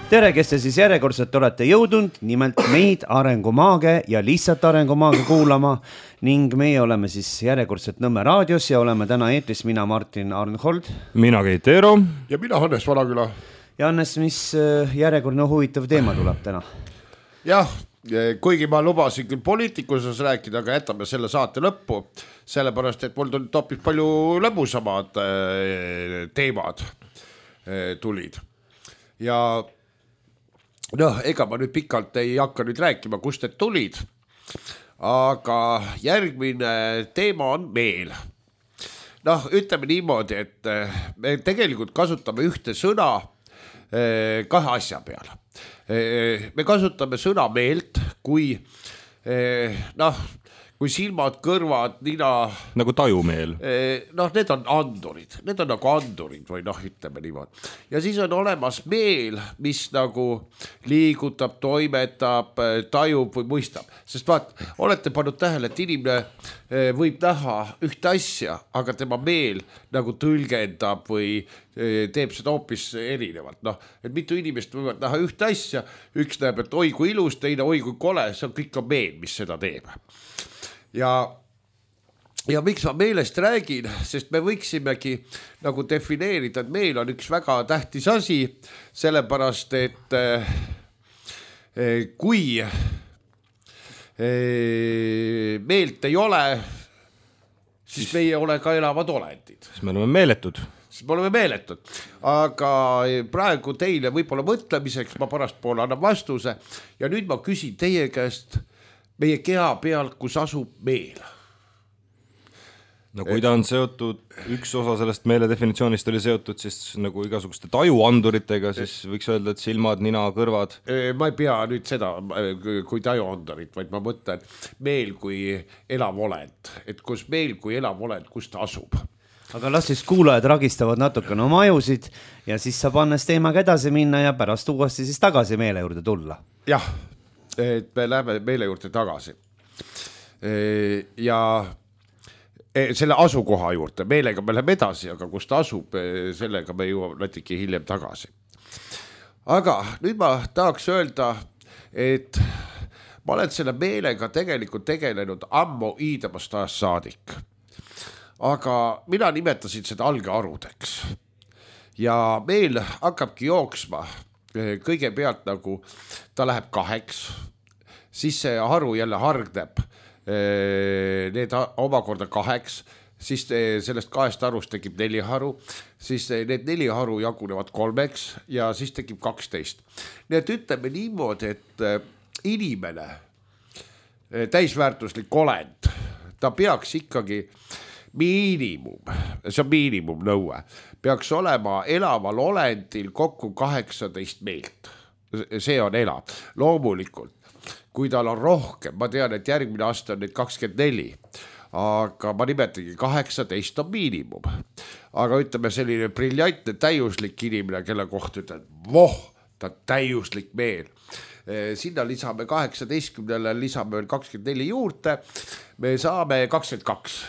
Tere, kes te siis järjekordselt olete jõudnud, nimelt meid Arengumaage ja lihtsalt Arengumaage kuulama ning meie oleme siis järjekordselt Nõmme raadios ja oleme täna eetris mina Martin Arnhold. Mina Keit Eero. Ja mina Hannes Valaküla. Ja Hannes, mis järjekordne huvitav teema tuleb täna? Jah, kuigi ma lubasin küll poliitikuses rääkida, aga jätame selle saate lõppu, sellepärast, et mul tulid hoopis palju lõbusamad teemad tulid. Ja ega ma nüüd pikalt ei hakka nüüd rääkima, kust need tulid, aga järgmine teema on meel. Ütleme niimoodi, et me tegelikult kasutame ühte sõna kahe asja peale. Me kasutame sõna meelt, kui silmad, kõrvad, nina... Nagu tajumeel. Need on andurid. Need on nagu andurid või ütleme niimoodi. Ja siis on olemas meel, mis nagu liigutab, toimetab, tajub või mõistab. Sest olete pannud tähele, et inimene võib näha ühte asja, aga tema meel nagu tõlgendab või teeb seda hoopis erinevalt. Et mitu inimest võivad näha ühte asja, üks näeb, et oi kui ilus, teine oi kui kole, see on kõik meel, mis seda teeb. Ja miks ma meelest räägin, sest me võiksimegi nagu defineerida, et meel on üks väga tähtis asi, sellepärast, et kui meelt ei ole, siis meie ei ole ka elavad olendid. Siis me oleme meeletud. Aga praegu teile võib-olla mõtlemiseks ma pärast poole annan vastuse ja nüüd ma küsin teie käest meie keha peal, kus asub meel. Kui ta on seotud, üks osa sellest meele definitsioonist oli seotud siis nagu igasuguste tajuanduritega, siis võiks öelda, et silmad, nina, kõrvad. Ma ei pea nüüd seda kui tajuandurit, vaid ma mõtlen meel kui elav olend, et kus meel kui elav olend, kus ta asub. Aga las siis kuulajad ragistavad natukene oma ajusid ja siis saab Annes teemaga edasi minna ja pärast uuesti siis tagasi meele juurde tulla. Jah, et me läheme meele juurde tagasi. Ja selle asukoha juurde, meelega me läheme edasi, aga kus ta asub, sellega me jõuame natuke hiljem tagasi. Aga nüüd ma tahaks öelda, et ma olen selle meelega tegelikult tegelenud ammu iidamast ajast saadik. Aga mina nimetasin seda algearudeks. Ja meel hakkabki jooksma kõigepealt nagu ta läheb 2, siis see haru jälle hargneb need omakorda 2, siis sellest 2 harust tekib 4 haru, siis need 4 haru jagunevad 3 ja siis tekib 12. Nii et ütleme niimoodi, et inimene, täisväärtuslik olend, ta peaks ikkagi miinimum, see on miinimum nõue, peaks olema elaval olendil kokku 18 meelt. See on elav. Loomulikult, kui tal on rohkem, ma tean, et järgmine aasta on neid 24, aga ma nimetagi 18 on miinimum. Aga ütleme selline briljantne täiuslik inimene, kelle kohta ütlen, ta täiuslik meel. Sinna lisame 18-le, lisame veel 24 juurde, me saame 22.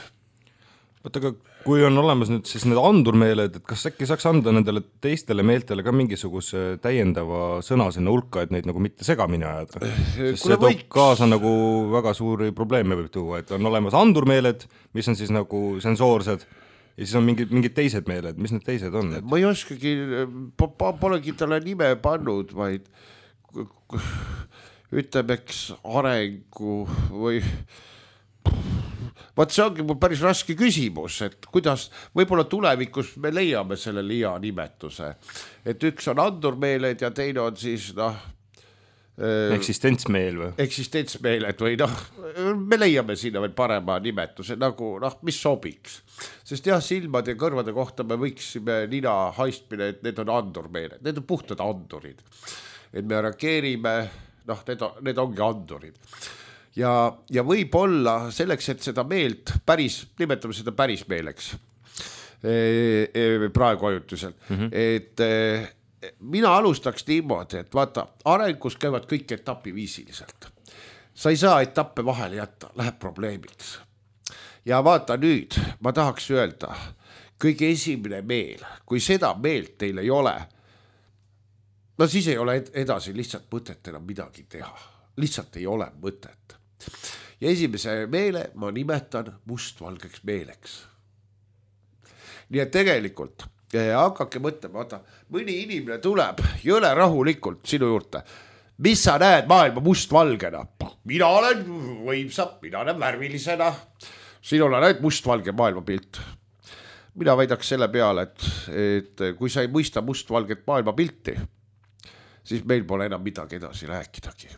Aga kui on olemas nüüd siis need andurmeeled, et kas äkki saaks anda nendele teistele meeltele ka mingisuguse täiendava sõna sinna hulka, et neid nagu mitte segamini ajada? Sest see toob kaasa nagu väga suuri probleeme võib tuua, et on olemas andurmeeled, mis on siis nagu sensoorsed ja siis on mingid teised meeled, mis need teised on? Ma ei oskagi, polegi talle nime pannud, vaid ütlemeks arengu või... see ongi mul päris raske küsimus, et kuidas võib-olla tulevikus me leiame selle hea nimetuse. Et üks on andurmeeled ja teine on siis eksistentsmeel või? Eksistentsmeeled või me leiame sinna veel parema nimetuse, nagu mis sobiks. Sest silmade ja kõrvade kohta me võiksime nina haistmine, et need on andurmeeled, need on puhtad andurid. Et me reageerime, need ongi andurid. Ja võib-olla selleks, et seda meelt nimetame seda päris meeleks praegu ajutuselt, et mina alustaks niimoodi, et vaata, arengus käivad kõik etapiviisiliselt. Sa ei saa etappe vahele jätta, läheb probleemiks. Ja vaata nüüd, ma tahaks öelda, kõige esimene meel, kui seda meelt teil ei ole, no siis ei ole edasi lihtsalt mõtet enam midagi teha, lihtsalt ei ole mõtet. Ja esimese meele ma nimetan mustvalgeks meeleks. Nii et tegelikult hakkake mõtlema, vaata, mõni inimene tuleb jõle rahulikult sinu juurde. Mis sa näed maailma mustvalgena? Mina olen võimsa, mina olen värvilisena. Sinul on ainult mustvalge maailmapilt. Mina väidaks selle peale, et kui sa ei mõista mustvalget maailmapilti, siis meil pole enam midagi edasi rääkidagi.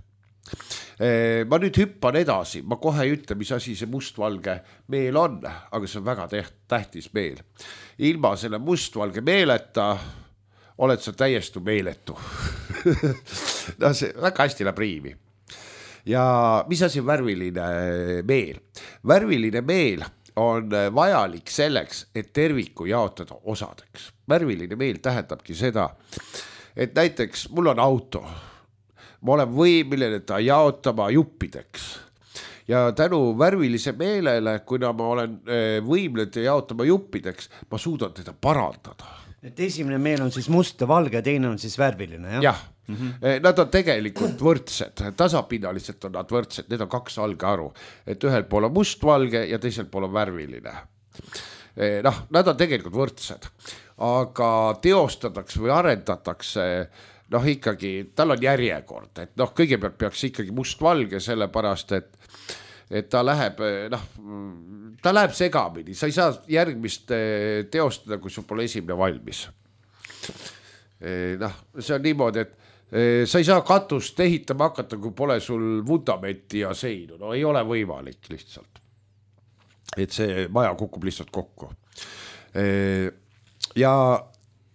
Ma nüüd hüppan edasi, ma kohe ei ütle, mis asi see mustvalge meel on, aga see on väga tähtis meel. Ilma selle mustvalge meeleta oled sa täiesti meeletu. No see väga hästi läheb riimi. Ja mis asi on värviline meel? Värviline meel on vajalik selleks, et terviku jaotada osadeks. Värviline meel tähendabki seda, et näiteks mul on auto. Ma olen võimeline ta jaotama juppideks. Ja tänu värvilise meelele, kuna ma olen võimeline jaotama juppideks, ma suudan teda parandada. Et esimene meel on siis must ja valge, teine on siis värviline, jah? Jah, nad on tegelikult võrdsed, tasapinnaliselt on nad võrdsed, need on kaks algearu, et ühel pool on mustvalge ja teisel pool on värviline. Nad on tegelikult võrdsed, aga teostatakse või arendatakse ikkagi, tal on järjekord, et kõigepealt peaks ikkagi mustvalge sellepärast, et ta läheb segamini, sa ei saa järgmist teostada, kui sul pole esimene valmis. See on niimoodi, et sa ei saa katust ehitama hakata, kui pole sul vundamenti ja seinu, no ei ole võimalik lihtsalt. Et see maja kukub lihtsalt kokku. Ja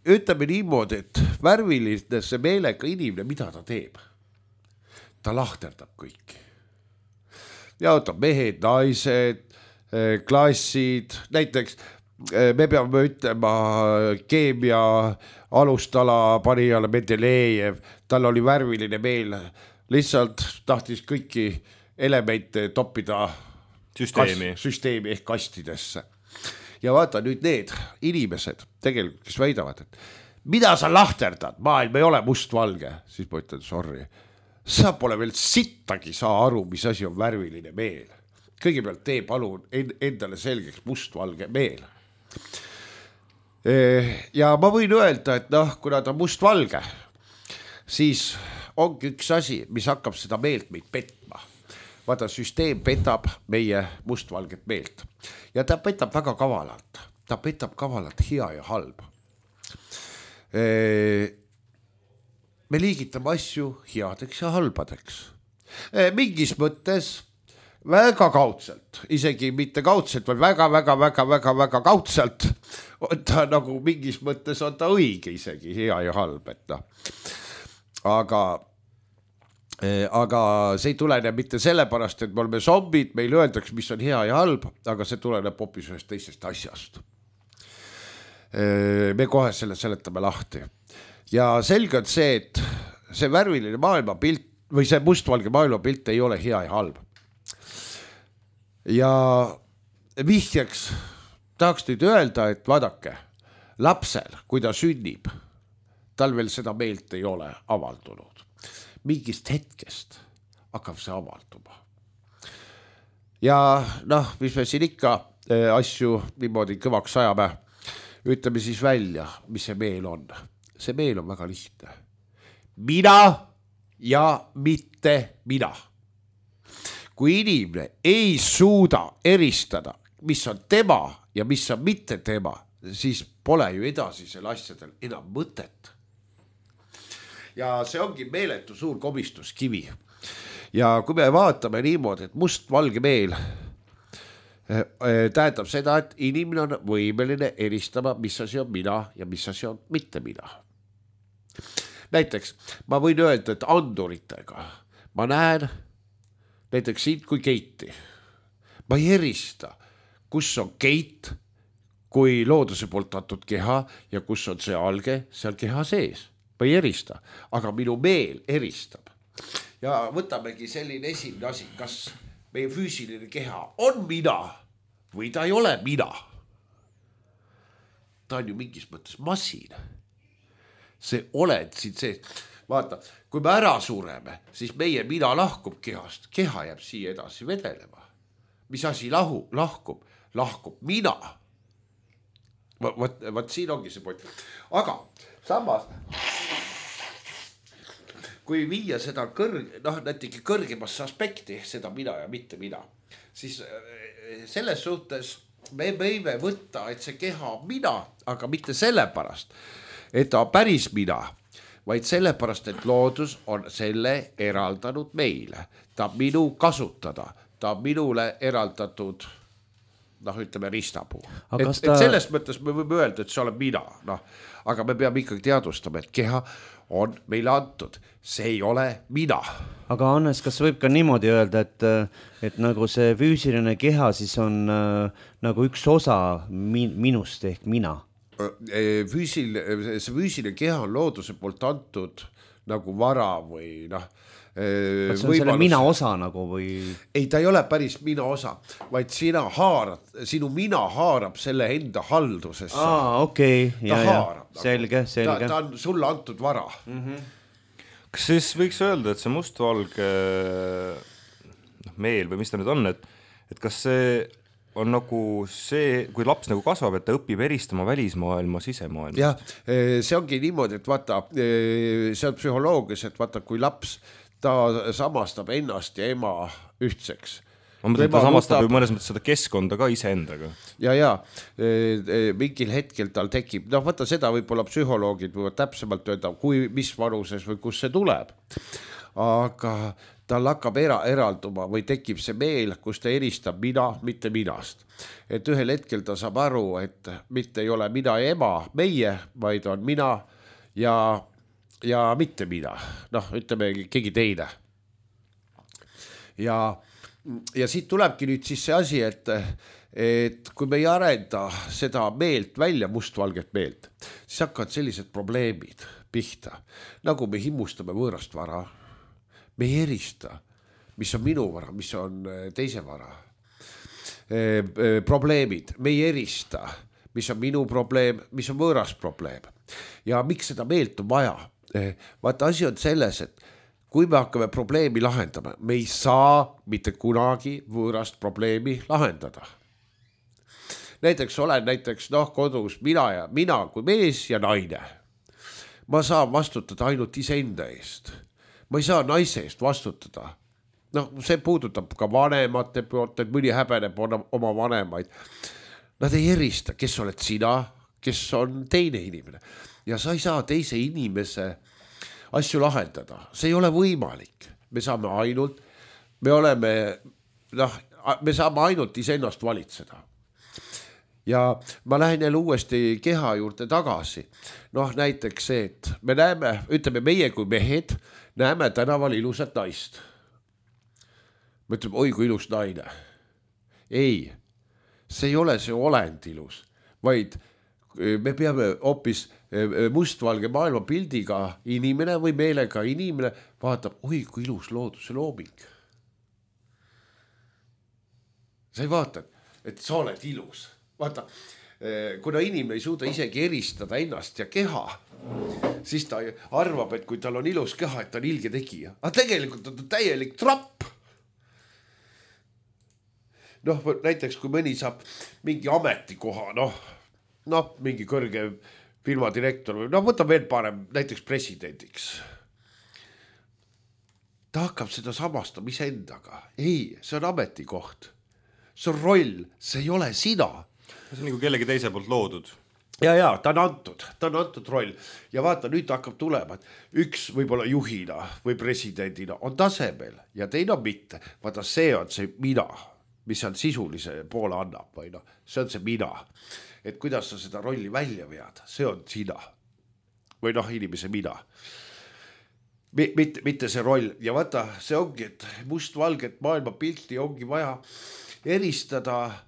ütleme niimoodi, et värvilise meelega inimene, mida ta teeb? Ta lahterdab kõiki. Jaotab mehed, naised, klassid, näiteks me peame ütlema keemia alustala panijale Mendelejev, tal oli värviline meel, lihtsalt tahtis kõiki elemente toppida süsteemi ehk kastidesse. Ja vaata nüüd need inimesed tegelikult, kes väidavad, et mida sa lahterdad, maailm ei ole mustvalge, siis ma ütlen, sorry, sa pole veel sittagi saa aru, mis asi on värviline meel. Kõigepealt tee palun endale selgeks mustvalge meel. Ja ma võin öelda, et kuna ta on mustvalge, siis ongi üks asi, mis hakkab seda meelt meid petma. Vaata, süsteem petab meie mustvalget meelt ja ta petab väga kavalalt. Ta petab kavalalt hea ja halb. Me liigitame asju headeks ja halbadeks. Mingis mõttes väga kaudselt, isegi mitte kaudselt, vaid väga kaudselt. Ta nagu mingis mõttes on ta õige isegi, hea ja halb. Aga see ei tulene mitte sellepärast, et me oleme zombid, meil öeldaks, mis on hea ja halb, aga see tuleneb hoopis ühest teisest asjast. Me kohe selle seletame lahti. Ja selge on see, et see värviline maailmapilt või see mustvalge maailmapilt ei ole hea ja halb. Ja vihjeks tahaks nüüd öelda, et vaadake, lapsel, kui ta sünnib, tal veel seda meelt ei ole avaldunud. Mingist hetkest hakkab see avalduma. Ja mis me siin ikka asju niimoodi kõvaks ajame, ütleme siis välja, mis see meel on. See meel on väga lihtne. Mina ja mitte mina. Kui inimene ei suuda eristada, mis on tema ja mis on mitte tema, siis pole ju edasisel asjadel enam mõtet. Ja see ongi meeletu suur komistuskivi. Ja kui me vaatame niimoodi, et mustvalge meel tähendab seda, et inimene on võimeline eristama, mis asi on mina ja mis asi on mitte mina. Näiteks ma võin öelda, et anduritega ma näen näiteks sind kui Keiti. Ma ei erista, kus on Keit kui looduse poolt antud keha ja kus on see alge seal keha sees. Ma ei erista, aga minu meel eristab. Ja võtamegi selline esimene asi, kas meie füüsiline keha on mina või ta ei ole mina. Ta on ju mingis mõttes masin. See oled siin see, vaata, kui me ära sureme, siis meie mina lahkub kehast, keha jääb siia edasi vedelema. Mis asi lahkub? Lahkub mina. Vaat siin ongi see point. Aga samas, kui viia seda näiteks kõrgemasse aspekti, seda mina ja mitte mina, siis selles suhtes me võime võtta, et see keha on mina, aga mitte sellepärast, et ta on päris mina, vaid sellepärast, et loodus on selle eraldanud meile. Ta on minu kasutada, ta on minule eraldatud, ütleme ristapuu. Et selles mõttes me võime öelda, et see olen mina, aga me peame ikkagi teadvustama, et keha on meile antud, see ei ole mina. Aga Hannes, kas võib ka niimoodi öelda, et nagu see füüsiline keha siis on nagu üks osa minust ehk mina? See füüsiline keha on looduse poolt antud nagu vara või Kas see on selle mina osa nagu või? Ei, ta ei ole päris mina osa, vaid sinu mina haarab selle enda haldusesse. Okei. Selge. Ta on sulle antud vara. Kas siis võiks öelda, et see mustvalge meel või mis ta nüüd on, et kas see on nagu see, kui laps nagu kasvab, et ta õpib eristama välismaailma sisemaailma? Jah, see ongi niimoodi, et vaata, see on psühholoogias, et vaata, kui laps ta samastab ennast ja ema ühtseks. Ma mõtlen, ta samastab ju mõnes mõttes seda keskkonda ka iseendaga. Ja, mingil hetkel tal tekib, vaata seda võib-olla psühholoogid võivad täpsemalt öelda, mis vanuses või kus see tuleb. Aga tal hakkab eralduma või tekib see meel, kus ta eristab mina, mitte minast. Et ühel hetkel ta saab aru, et mitte ei ole mina ja ema, meie, vaid on mina ja mitte mina, ütleme keegi teine. Ja siit tulebki nüüd siis see asi, et kui me ei arenda seda meelt välja, mustvalget meelt, siis hakkavad sellised probleemid pihta, nagu me himmustame võõrast vara, me ei erista, mis on minu vara, mis on teise vara. Probleemid, me ei erista, mis on minu probleem, mis on võõras probleem. Ja miks seda meelt on vaja? Vaata, asi on selles, et kui me hakkame probleemi lahendama, me ei saa mitte kunagi võõrast probleemi lahendada. Näiteks olen kodus mina kui mees ja naine. Ma saan vastutada ainult iseenda eest. Ma ei saa naise eest vastutada. See puudutab ka vanemate poolt, et mõni häbeneb oma vanemaid. Nad ei erista, kes oled sina, kes on teine inimene. Ja sa ei saa teise inimese asju lahendada. See ei ole võimalik. Me saame ainult iseennast valitseda. Ja ma lähen jälle uuesti keha juurde tagasi. Näiteks see, et me näeme, ütleme meie kui mehed, näeme tänaval ilusat naist. Me ütleme, oi kui ilus naine. Ei, see ei ole see olend ilus, vaid me peame hoopis mustvalge maailma pildiga inimene või meelega inimene vaatab, oi kui ilus looduse looming. Sa ei vaata, et sa oled ilus. Vaata, kuna inimene ei suuda isegi eristada ennast ja keha, siis ta arvab, et kui tal on ilus keha, et ta on ilge tegija. Aga tegelikult on ta täielik trapp. Näiteks kui mõni saab mingi ametikoha, mingi kõrge firmadirektor või võtab veel parem, näiteks presidendiks. Ta hakkab seda samastama iseendaga. Ei, see on ametikoht. See on roll, see ei ole sina. See on nagu kellegi teise poolt loodud. Ja, ta on antud roll. Ja vaata, nüüd hakkab tulema, et üks võib-olla juhina või presidendina on tasemel ja teine on mitte. Vaata, see on see mina, mis on sisulise poole annab. Või see on see mina. Et kuidas sa seda rolli välja vead, see on sina. Või inimese mina. Mitte see roll. Ja vaata, see ongi, et mustvalget maailma pilti ongi vaja eristada,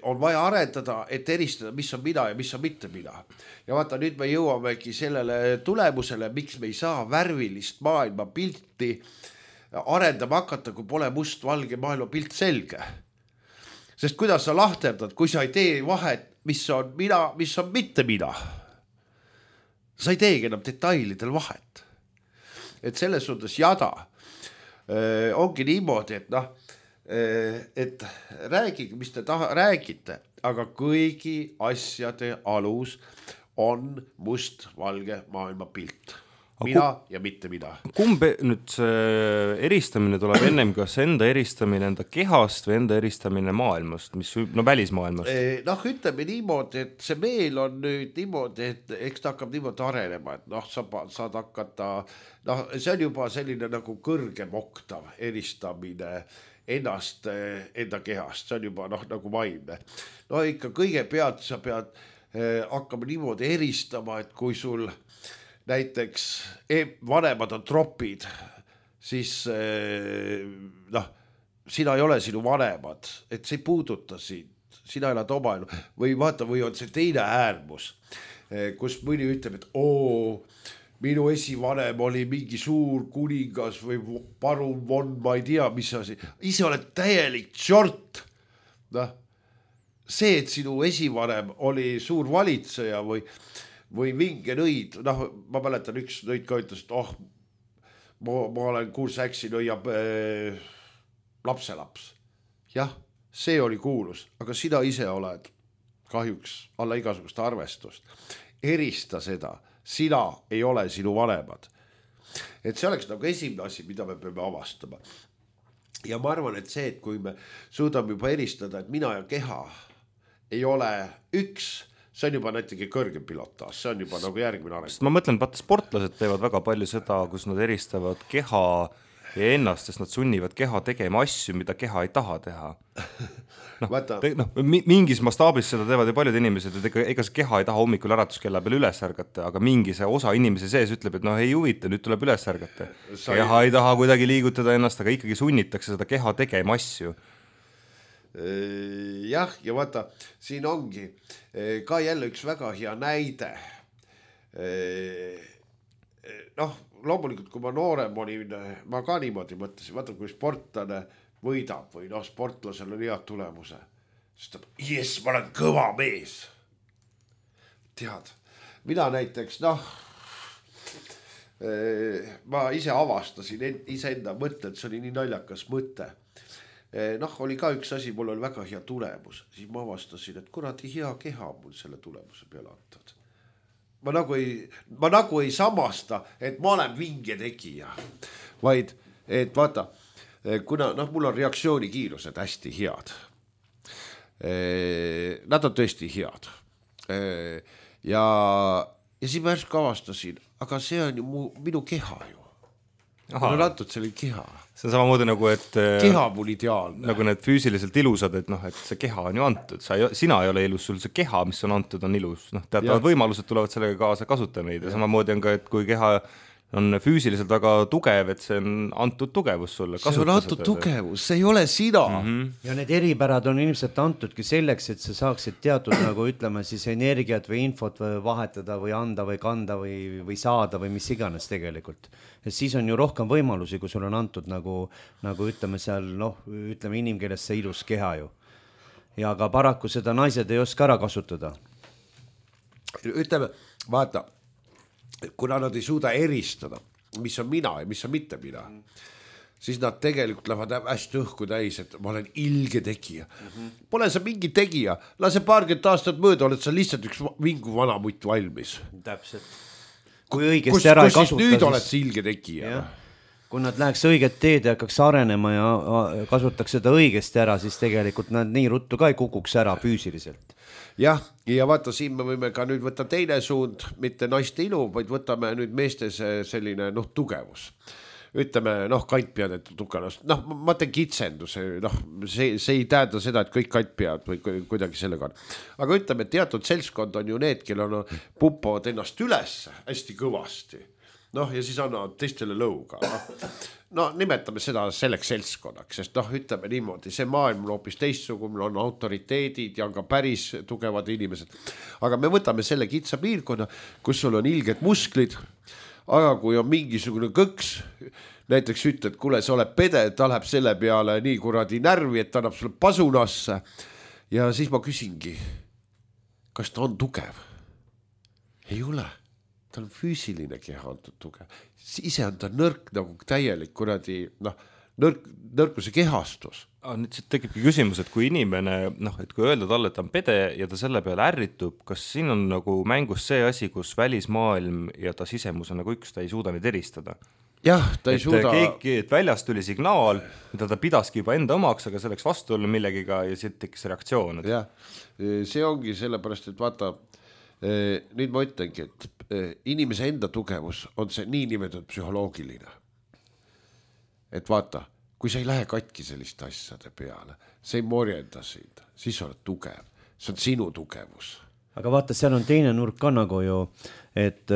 on vaja arendada, et eristada, mis on mina ja mis on mitte mina. Ja vaata, nüüd me jõuamegi sellele tulemusele, miks me ei saa värvilist maailma pilti arendama hakata, kui pole mustvalge maailma pilt selge. Sest kuidas sa lahterdad, kui sa ei tee vahet, mis on mina, mis on mitte mina. sa ei teegi enam detailidel vahet. Et selles suhtes jada ongi niimoodi, et noh, et räägige, mis te räägite, aga kõigi asjade alus on must-valge maailmapilt. Mina ja mitte mina. Kumb nüüd see eristamine tuleb ennem, kas enda eristamine enda kehast või enda eristamine maailmast, mis välismaailmast? Noh, ütleme niimoodi, et see meel on nüüd niimoodi, et eks ta hakkab niimoodi arenema, et noh, saad hakata, noh, see on juba selline nagu kõrgem oktav eristamine ennast enda kehast, see on juba noh, nagu vaimne. No ikka kõigepealt sa pead hakkama niimoodi eristama, et kui sul näiteks vanemad on tropid, siis noh, sina ei ole sinu vanemad, et see ei puuduta sind, sina elad oma elu. Või vaata, või on see teine äärmus, kus mõni ütleb, et minu esivanem oli mingi suur kuningas või parun von, ma ei tea, mis asi. Ise oled täielik tšort. Noh, see, et sinu esivanem oli suur valitseja või vinge nõid, noh, ma mäletan üks nõid ka ütles, et ma olen Kuursäksi nõia lapselaps. Jah, see oli kuulus, aga sina ise oled kahjuks alla igasugust arvestust. Erista seda, sina ei ole sinu vanemad. Et see oleks nagu esimene asi, mida me peame avastama. Ja ma arvan, et see, et kui me suudame juba eristada, et mina ja keha ei ole üks, see on juba näitegi kõrgem pilotaas, see on juba nagu järgmine areng. Ma mõtlen, vaata sportlased teevad väga palju seda, kus nad eristavad keha ja ennast, sest nad sunnivad keha tegema asju, mida keha ei taha teha. Mingis mastaabis seda teevad ja paljud inimesed, et ega see keha ei taha hommikul äratuskella peal üles ärgata, aga mingi see osa inimese sees ütleb, et ei huvita, nüüd tuleb üles ärgata. Keha ei taha kuidagi liigutada ennast, aga ikkagi sunnitakse seda keha tegema asju. Jah, ja vaata, siin ongi ka jälle üks väga hea näide. Noh, loomulikult, kui ma noorem olin, ma ka niimoodi mõtlesin, vaata, kui sportlane võidab või noh, sportlasel on head tulemuse, siis ta, ma olen kõva mees. Tead, mina näiteks, noh, ma ise avastasin iseenda mõtte, et see oli nii naljakas mõte. Noh, oli ka üks asi, mul oli väga hea tulemus, siis ma avastasin, et kuradi hea keha mul selle tulemuse peale antad. Ma nagu ei samasta, et ma olen vinge tegija, vaid, et vaata, kuna mul on reaktsioonikiirused hästi head. Nad on tõesti head. Ja siis ma järsku avastasin, aga see on ju minu keha ju. Mul on antud selle keha. See on samamoodi nagu, et keha mul ideaalne. Nagu need füüsiliselt ilusad, et et see keha on ju antud. Sina ei ole ilus, sul see keha, mis on antud, on ilus. Teatavad võimalused tulevad sellega kaasa, kasuta neid. Ja samamoodi on ka, et kui keha on füüsiliselt väga tugev, et see on antud tugevus sulle. See on antud tugevus, see ei ole sina. Ja need eripärad on ilmselt antudki selleks, et sa saaksid teatud nagu ütleme siis energiat või infot vahetada või anda või kanda või saada või mis iganes tegelikult. Ja siis on ju rohkem võimalusi, kui sul on antud nagu ütleme seal, ütleme inimkeeles see ilus keha ju. Ja ka paraku seda naised ei oska ära kasutada. Ütleme, vaata, kuna nad ei suuda eristada, mis on mina ja mis on mitte mina, siis nad tegelikult lähevad hästi õhku täis, et ma olen ilge tegija. Pole sa mingi tegija, lase paarkümmend aastat mööda, oled sa lihtsalt üks vingu vana mutt valmis. Täpselt. Kui õigesti ära ei kasuta, nüüd oled sa ilge tegija. Kui nad läheks õiget teed ja hakkaks arenema ja kasutaks seda õigesti ära, siis tegelikult nad nii ruttu ka ei kukuks ära füüsiliselt. Jah, ja vaata, siin me võime ka nüüd võtta teine suund, mitte naiste ilu, vaid võtame nüüd meestes selline tugevus. Ütleme, kantpead, et tukanost. Ma teen kitsenduse, see ei tähenda seda, et kõik kantpead või kuidagi sellega on. Aga ütleme, teatud seltskond on ju need, kellel pumpavad ennast üles hästi kõvasti. Ja siis annavad teistele lõuga. Nimetame seda selleks seltskonnaks, sest ütleme niimoodi, see maailm on hoopis teistsugune, on autoriteedid ja on ka päris tugevad inimesed. Aga me võtame selle kitsa piirkonna, kus sul on ilged musklid, aga kui on mingisugune kõks, näiteks ütled, kuule, sa oled pede, ta läheb selle peale nii kuradi närvi, et ta annab sulle pasunasse. Ja siis ma küsingi, kas ta on tugev? Ei ole. tal on füüsiline keha antud tugev, ise on ta nõrk nagu täielik kuradi, nõrkuse kehastus. Nüüd siit tekibki küsimus, et kui inimene, et kui öelda talle, et ta on pede ja ta selle peale ärritub, kas siin on nagu mängus see asi, kus välismaailm ja ta sisemus on nagu üks, ta ei suuda neid eristada? Jah, ta ei suuda. Et väljast tuli signaal, mida ta pidaski juba enda omaks, aga selleks vastu olla millegiga ja siit tekkis reaktsioon. Jah, see ongi sellepärast, et vaata, nüüd ma ütlengi, et inimese enda tugevus on see niinimetatud psühholoogiline. Et vaata, kui sa ei lähe katki selliste asjade peale, sa ei morjenda sind, siis oled tugev, see on sinu tugevus. Aga vaata, seal on teine nurk ka nagu ju, et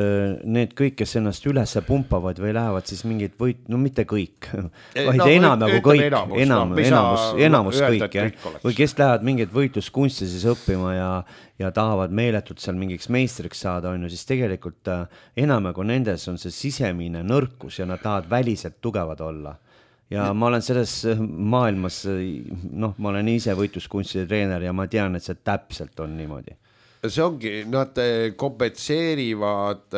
need kõik, kes ennast üles pumpavad või lähevad siis mingid mitte kõik, vaid enam nagu kõik, enamus kõik, või kes lähevad mingid võitluskunsti siis õppima ja tahavad meeletult seal mingiks meistriks saada, siis tegelikult enam nagu nendes on see sisemine nõrkus ja nad tahavad väliselt tugevad olla. Ja ma olen selles maailmas, ma olen ise võitluskunstide treener ja ma tean, et see täpselt on niimoodi. See ongi, nad kompetseerivad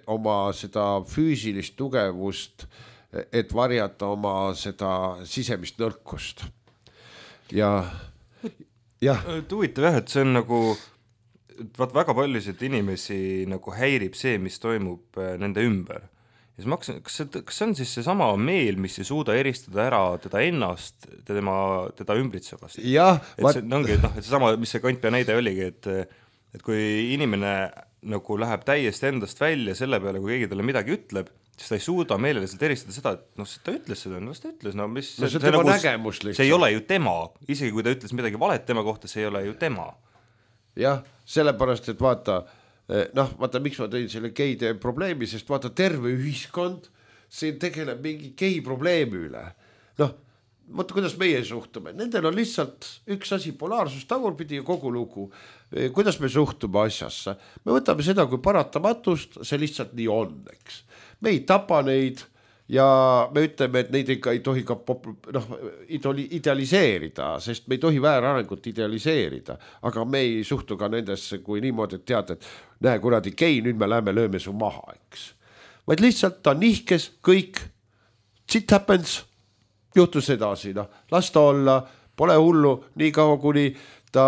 oma seda füüsilist tugevust, et varjata oma seda sisemist nõrkust. Ja. Huvitav jah, et see on nagu, väga paljusid inimesi nagu häirib see, mis toimub nende ümber. Ja kas see on siis see sama meel, mis ei suuda eristada ära teda ennast, teda ümbritsevast? Jah. See ongi, et see sama, mis see Kantpea näide oligi, et kui inimene nagu läheb täiesti endast välja selle peale, kui keegi talle midagi ütleb, siis ta ei suuda meeleliselt eristada seda, et ta ütles seda, ta ütles, see tema nagu, nägemus lihtsalt. See ei ole ju tema, isegi kui ta ütles midagi valet tema kohta, see ei ole ju tema. Jah, sellepärast, et vaata, miks ma tõin selle geide probleemi, sest vaata, terve ühiskond siin tegeleb mingi gei probleemi üle. Vaata, kuidas meie suhtume. Nendel on lihtsalt üks asi, polaarsus tagurpidi ja kogu lugu. Kuidas me suhtume asjasse? Me võtame seda kui paratamatust, see lihtsalt nii on, eks. Me ei tapa neid ja me ütleme, et neid ikka ei tohi ka idealiseerida, sest me ei tohi väärarengut idealiseerida, aga me ei suhtu ka nendesse kui niimoodi, et tead, et näe kuradi gei, nüüd me läheme lööme su maha, eks. Vaid lihtsalt ta nihkes kõik, shit happens, juhtus edasi, las ta olla, pole hullu, nii kaua kuni ta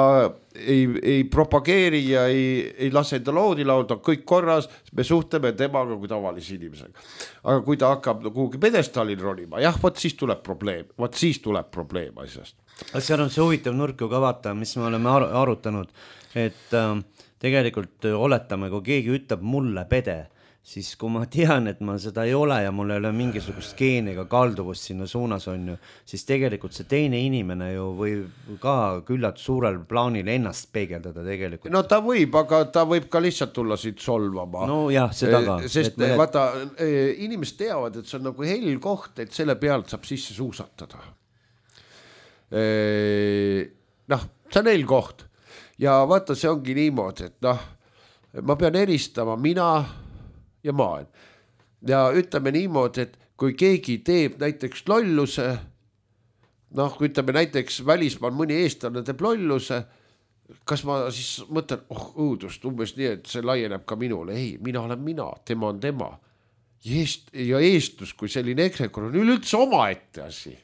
ei propageeri ja ei lase enda loodi laulda, kõik korras, me suhtleme temaga kui tavalise inimesega. Aga kui ta hakkab kuhugi pedestaalil ronima, jah, siis tuleb probleem asjast. Seal on see huvitav nurk ju ka vaata, mis me oleme arutanud, et tegelikult oletame, kui keegi ütleb mulle pede, siis kui ma tean, et ma seda ei ole ja mul ei ole mingisugust geeniga kalduvust sinna suunas on ju, siis tegelikult see teine inimene ju võib ka küllalt suurel plaanil ennast peegeldada tegelikult. No ta võib, aga ta võib ka lihtsalt tulla siit solvama. No jah, seda ka. Sest vaata, inimesed teavad, et see on nagu hell koht, et selle pealt saab sisse suusatada. See on hell koht. Ja vaata, see ongi niimoodi, et ma pean eristama mina ja maailm. Ja ütleme niimoodi, et kui keegi teeb näiteks lolluse, kui ütleme näiteks välismaal mõni eestlane teeb lolluse, kas ma siis mõtlen, õudust, umbes nii, et see laieneb ka minule. Ei, mina olen mina, tema on tema. Ja eestlus kui selline ekrekor on üleüldse omaette asi.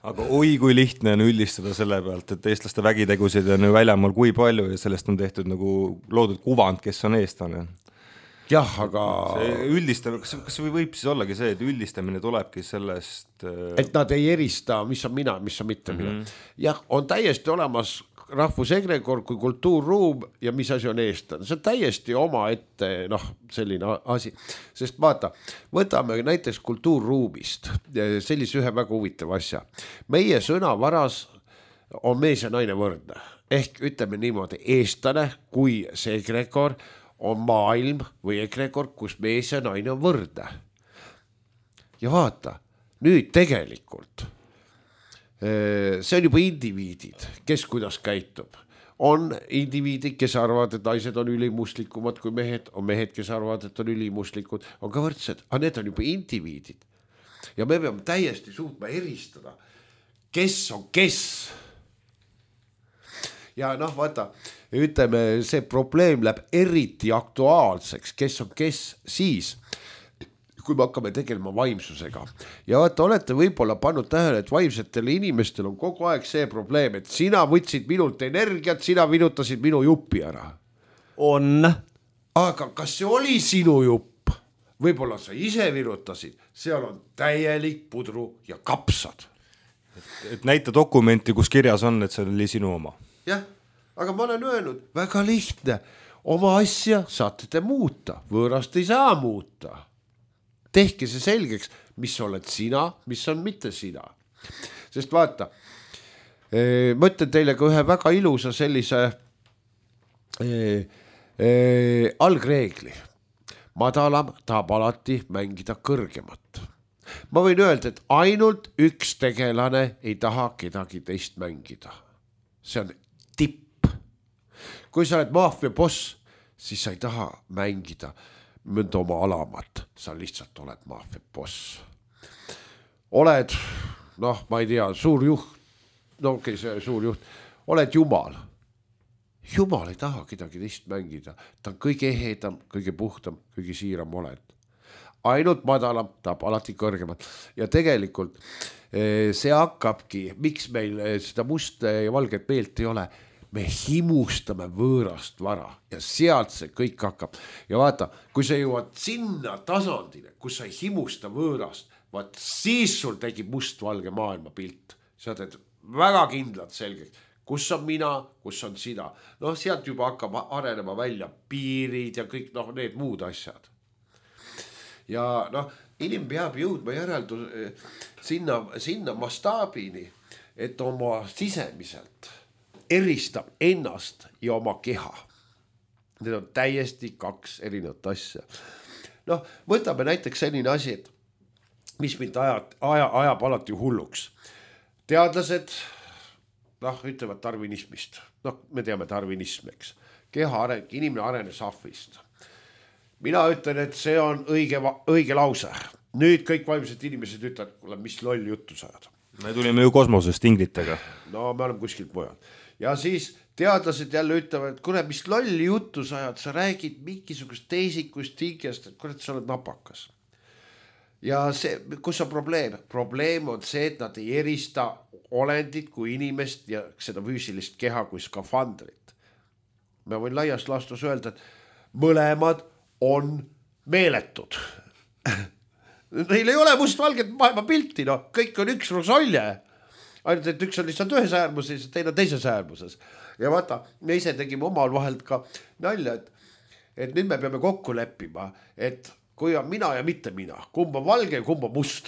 Aga kui lihtne on üldistada selle pealt, et eestlaste vägitegusid on väljamaal kui palju ja sellest on tehtud nagu loodud kuvand, kes on eestlane. Jah, aga üldistamine, kas võib siis ollagi see, et üldistamine tulebki sellest, et nad ei erista, mis on mina, mis on mitte mina. Jah, on täiesti olemas rahvusegregor kui kultuurruum ja mis asi on eestlane. See on täiesti oma ette selline asi, sest vaata, võtame näiteks kultuurruumist sellise ühe väga huvitav asja. Meie sõnavaras on mees ja naine võrdne, ehk ütleme niimoodi, eestlane kui see egregor on maailm või egregor, kus mees ja naine on võrdne. Ja vaata, nüüd tegelikult see on juba indiviidid, kes kuidas käitub. On indiviidid, kes arvavad, et naised on ülimuslikumad kui mehed, on mehed, kes arvavad, et on ülimuslikud, on ka võrdsed, aga need on juba indiviidid. Ja me peame täiesti suutma eristada, kes on kes. Ja vaata, ütleme, see probleem läheb eriti aktuaalseks, kes on kes siis, kui me hakkame tegelema vaimsusega. Ja vaata, olete võib-olla pannud tähele, et vaimsetel inimestel on kogu aeg see probleem, et sina võtsid minult energiat, sina vinutasid minu jupi ära. On. Aga kas see oli sinu jupp? Võib-olla sa ise virutasid, seal on täielik pudru ja kapsad. Et näita dokumenti, kus kirjas on, et see oli sinu oma. Jah, aga ma olen öelnud, väga lihtne, oma asja saate te muuta, võõrast ei saa muuta. Tehke see selgeks, mis oled sina, mis on mitte sina. Sest vaata, ma ütlen teile ka ühe väga ilusa sellise algreegli. Madalam tahab alati mängida kõrgemat. Ma võin öelda, et ainult üks tegelane ei taha kedagi teist mängida. See on tipp. Kui sa oled maffia boss, siis sa ei taha mängida mõnda oma alamat. Sa lihtsalt oled maffia boss. Oled, ma ei tea, suur juht. See suur juht. Oled jumal. Jumal ei taha kedagi teist mängida. Ta on kõige ehedam, kõige puhtam, kõige siiram oled. Ainult madalam tahab alati kõrgemat. Ja tegelikult see hakkabki, miks meil seda musta ja valget meelt ei ole, me himustame võõrast vara ja sealt see kõik hakkab. Ja vaata, kui sa jõuad sinna tasandile, kus sa ei himusta võõrast, vaat siis sul tegib must-valge maailma pilt. Sa teed väga kindlalt selgeks. Kus on mina, kus on sina. Sealt juba hakkab arenema välja piirid ja kõik need muud asjad. Ja inimene peab jõudma sinna mastaabini, et oma sisemiselt eristab ennast ja oma keha. Need on täiesti kaks erinevat asja. Võtame näiteks selline asi, et mis mind ajab alati hulluks. Teadlased ütlevad darwinismist. Me teame darwinism, eks. Keha areng, inimene arenes ahvist. Mina ütlen, et see on õige lause. Nüüd kõik vaimsed inimesed ütlevad, mis loll juttu sajad. Me tulime ju kosmosest inglitega. Me oleme kuskilt mujal. Ja siis teadlased jälle ütlevad, et kuule, mis lolli juttu sajad, sa räägid mingisugust teisikust tingest, et kuule, sa oled napakas. Ja see, kus on probleem? Probleem on see, et nad ei erista olendit kui inimest ja seda füüsilist keha kui skafandrit. Ma võin laias laastus öelda, et mõlemad on meeletud. Neil ei ole must-valget maailma pilti, kõik on üks rosolje. Ainult, et üks on lihtsalt ühes äärmuses ja teine teises äärmuses. Ja vaata, me ise tegime omal vahelt ka nalja, et nüüd me peame kokku leppima, et kui on mina ja mitte mina, kumb on valge ja kumb on must.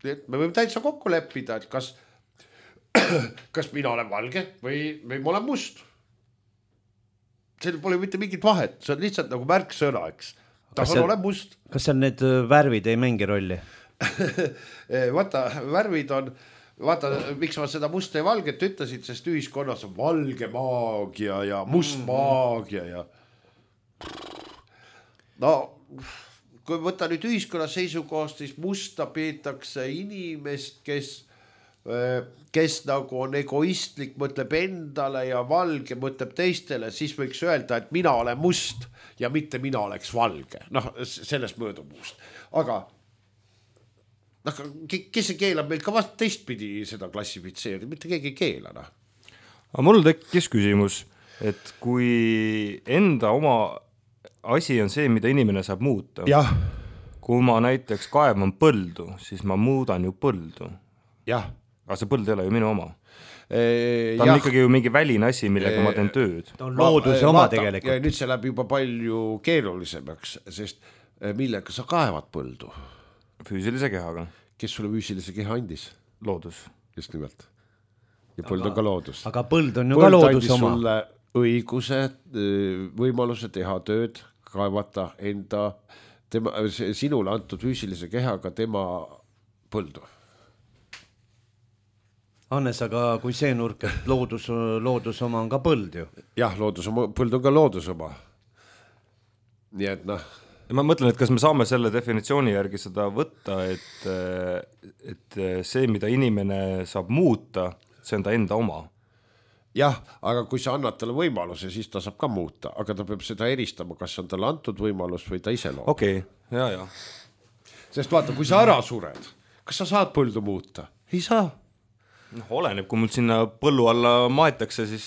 Et me võime täitsa kokku leppida, et kas mina olen valge või ma olen must. Seal pole mitte mingit vahet, see on lihtsalt nagu märksõna, eks. Olen must. Kas seal need värvid ei mängi rolli? Vaata, värvid on, miks ma seda musta ja valget ütlesid, sest ühiskonnas on valge maagia ja must maagia ja kui võtta nüüd ühiskonna seisukohast, siis musta peetakse inimest, kes nagu on egoistlik, mõtleb endale ja valge mõtleb teistele, siis võiks öelda, et mina olen must ja mitte mina oleks valge. Sellest möödumust. Aga kes see keelab meil ka vast teistpidi seda klassifitseerida, mitte keegi ei keela. Aga mul tekkis küsimus, et kui enda oma asi on see, mida inimene saab muuta. Jah. Kui ma näiteks kaevan põldu, siis ma muudan ju põldu. Jah. Aga see põld ei ole ju minu oma. Ta on ikkagi ju mingi väline asi, millega ma teen tööd. Ta on looduse oma tegelikult. Ja nüüd see läheb juba palju keerulisemaks, sest millega sa kaevad põldu? Füüsilise kehaga. Kes sulle füüsilise keha andis? Loodus. Just nimelt. Ja põld on ka loodus. Aga põld on ju ka loodus oma. Põld andis sulle õiguse, võimaluse teha tööd, kaevata sinule antud füüsilise kehaga tema põldu. Hannes, aga kui see nurk, et loodus oma on ka põld ju. Jah, põld on ka loodus oma. Nii et Ma mõtlen, et kas me saame selle definitsiooni järgi seda võtta, et see, mida inimene saab muuta, see on ta enda oma. jah, aga kui sa annad talle võimaluse, siis ta saab ka muuta, aga ta peab seda eristama, kas on talle antud võimalus või ta ise loob. Okei, ja. Sest vaata, kui sa ära sured, kas sa saad põldu muuta? Ei saa. Oleneb, kui mul sinna põllu alla maetakse, siis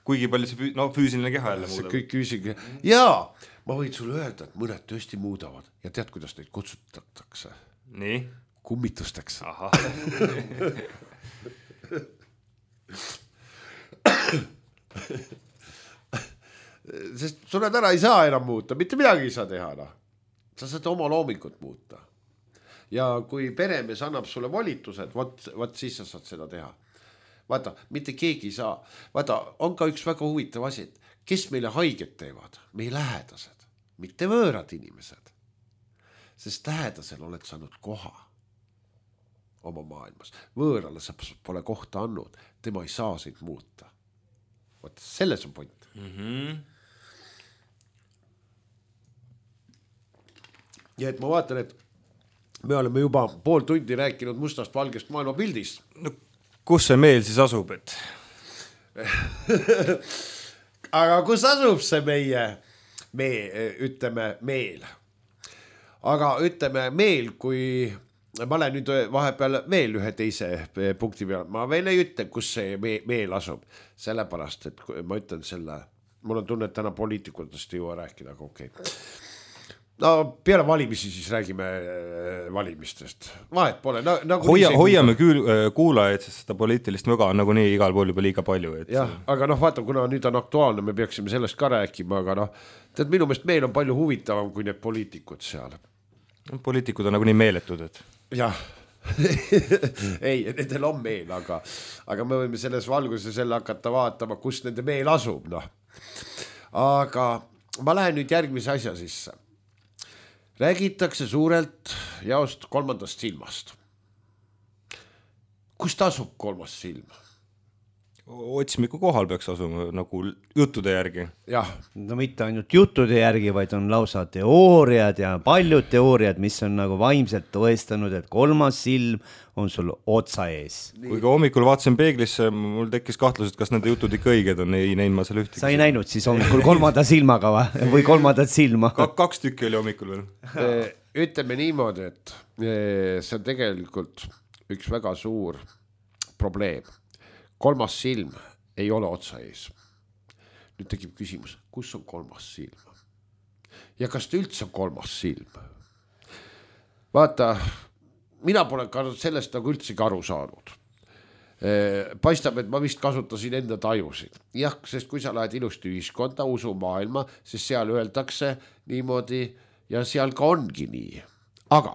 kuigi palju see füüsiline keha jälle muudab. Kõik küsige. Jaa, ma võin sulle öelda, et mõned tõesti muudavad ja tead, kuidas neid kutsutatakse? Nii? Kummitusteks. Aha. Sest sured ära ei saa enam muuta, mitte midagi ei saa teha. No. Sa saad oma loomingut muuta. Ja kui peremees annab sulle volitused, võt siis sa saad seda teha. Vaata, mitte keegi ei saa. Vaata, on ka üks väga huvitav asi, et kes meile haiget teevad? Meie lähedased, mitte võõrad inimesed. Sest lähedasel oled saanud koha oma maailmas. Võõrale sa pole kohta andnud, tema ei saa sind muuta. Vaata, selles on point. Ja et ma vaatan, et me oleme juba pool tundi rääkinud mustast valgest maailma pildist. No, kus see meel siis asub, et? Aga kus asub see ütleme meel? Aga ütleme meel, kui ma olen nüüd vahepeal veel ühe teise punkti peal, ma veel ei ütle, kus see meel asub, sellepärast, et ma ütlen selle, mul on tunne, et täna poliitikutest ei jõua rääkida, aga okei. No peale valimisi siis räägime valimistest. Vahet pole. Hoiame kuulajaid, sest seda poliitilist möga on nagu nii igal pool juba liiga palju. Et... jah, aga vaata, kuna nüüd on aktuaalne, me peaksime sellest ka rääkima, aga tead, minu meelest meil on palju huvitavam kui need poliitikud seal. Poliitikud on nagu nii meeletud, et... jah, ei, nendel on meel, aga me võime selles valguses selle hakata vaatama, kus nende meel asub. No. Aga ma lähen nüüd järgmise asja sisse. Räägitakse suurelt jaost kolmandast silmast. Kust asub kolmas silm? Otsimiku kohal peaks asuma nagu juttude järgi. Jah. No mitte ainult juttude järgi, vaid on lausa teooriad ja paljud teooriad, mis on nagu vaimselt tõestanud, et kolmas silm on sul otsa ees. Kui ka hommikul vaatasin peeglisse, mul tekkis kahtlus, et kas nende jutud ikka õiged on, ei näinud ma seal ühtegi. Sa ei näinud siis hommikul kolmanda silmaga või kolmandat silma? Kaks tükki oli hommikul veel. Ütleme niimoodi, et see on tegelikult üks väga suur probleem. Kolmas silm ei ole otsa ees. Nüüd tekib küsimus, kus on kolmas silm? Ja kas ta üldse on kolmas silm? Vaata, mina pole sellest nagu üldsegi aru saanud. Paistab, et ma vist kasutasin enda tajusid. Jah, sest kui sa lähed ilusti ühiskonda, usu maailma, siis seal öeldakse niimoodi ja seal ka ongi nii. Aga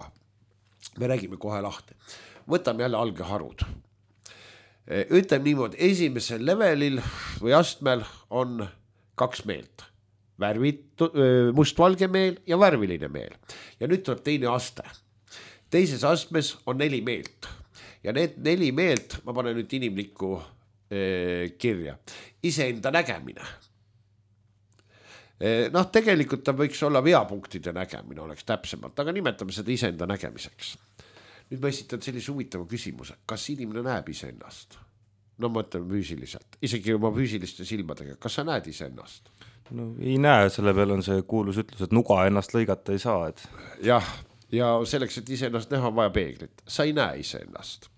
me räägime kohe lahti. Võtame jälle algeharud. Ütleme niimoodi, esimesel levelil või astmel on kaks meelt. Mustvalge meel ja värviline meel. Ja nüüd tuleb teine aste. Teises astmes on 4 meelt. Ja need 4 meelt, ma panen nüüd inimlikku kirja. Iseenda nägemine. Tegelikult ta võiks olla veapunktide nägemine, oleks täpsemalt, aga nimetame seda iseenda nägemiseks. Nüüd ma esitan sellise huvitava küsimuse, kas inimene näeb iseennast? No ma mõtlen füüsiliselt, isegi oma füüsiliste silmadega, kas sa näed iseennast? No ei näe, selle peal on see kuulus ütlus, et nuga ennast lõigata ei saa. Et... jah, ja selleks, et iseennast näha, on vaja peeglit. Sa ei näe iseennast.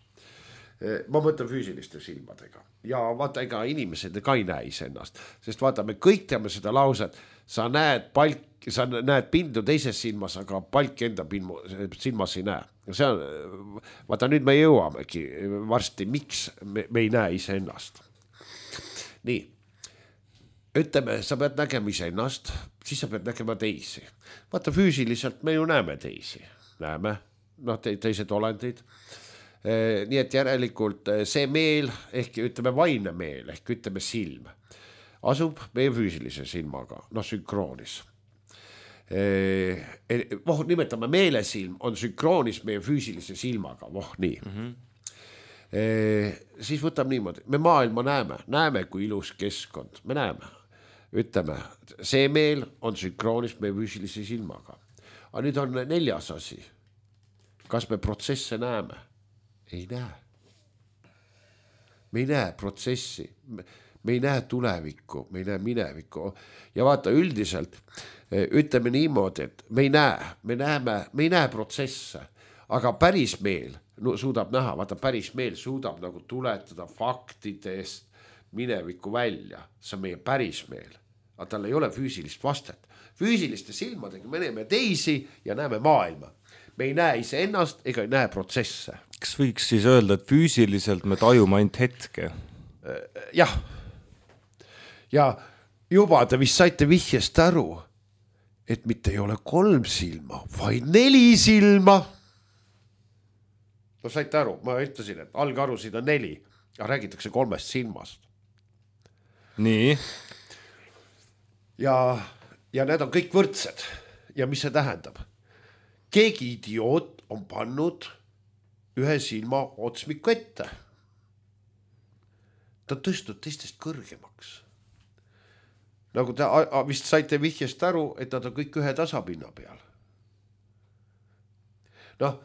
Ma mõtlen füüsiliste silmadega. Ja vaata, ega inimesed ka ei näe iseennast. Sest vaata, me kõik teame seda lauset, sa näed pindu teises silmas, aga palk enda silmas ei näe. See on, vaata nüüd me jõuamegi varsti, miks me ei näe iseennast. Nii, ütleme, sa pead nägema iseennast, siis sa pead nägema teisi. Vaata, füüsiliselt me ju näeme teisi. Näeme, teised olendid. Nii et järelikult see meel, ehk ütleme vaimne meel, ehk ütleme silm, asub meie füüsilise silmaga, sünkroonis. Nimetame meelesilm on sünkroonis meie füüsilise silmaga, nii. Siis võtame niimoodi, me maailma näeme kui ilus keskkond, me näeme, ütleme, see meel on sünkroonis meie füüsilise silmaga. Aga nüüd on 4. asi, kas me protsesse näeme? Ei näe. Me ei näe protsessi. me ei näe tulevikku, me ei näe minevikku ja vaata üldiselt ütleme niimoodi, et me ei näe protsesse, aga päris meel suudab näha, vaata päris meel suudab nagu tuletada faktidest minevikku välja, see on meie päris meel, aga tal ei ole füüsilist vastet. Füüsiliste silmadega me näeme teisi ja näeme maailma. Me ei näe iseennast ega ei näe protsesse. Kas võiks siis öelda, et füüsiliselt me tajume ainult hetke? Jah. Ja juba te vist saite vihjest aru, et mitte ei ole 3 silma, vaid 4 silma. No saite aru, ma ütlesin, et algarusid on 4, aga räägitakse 3 silmast. Nii. Ja need on kõik võrdsed. Ja mis see tähendab? Keegi idioot on pannud ühe silma otsmiku ette. Ta on tõstnud teistest kõrgemaks. Nagu te vist saite vihjest aru, et nad on kõik ühe tasapinna peal. Noh,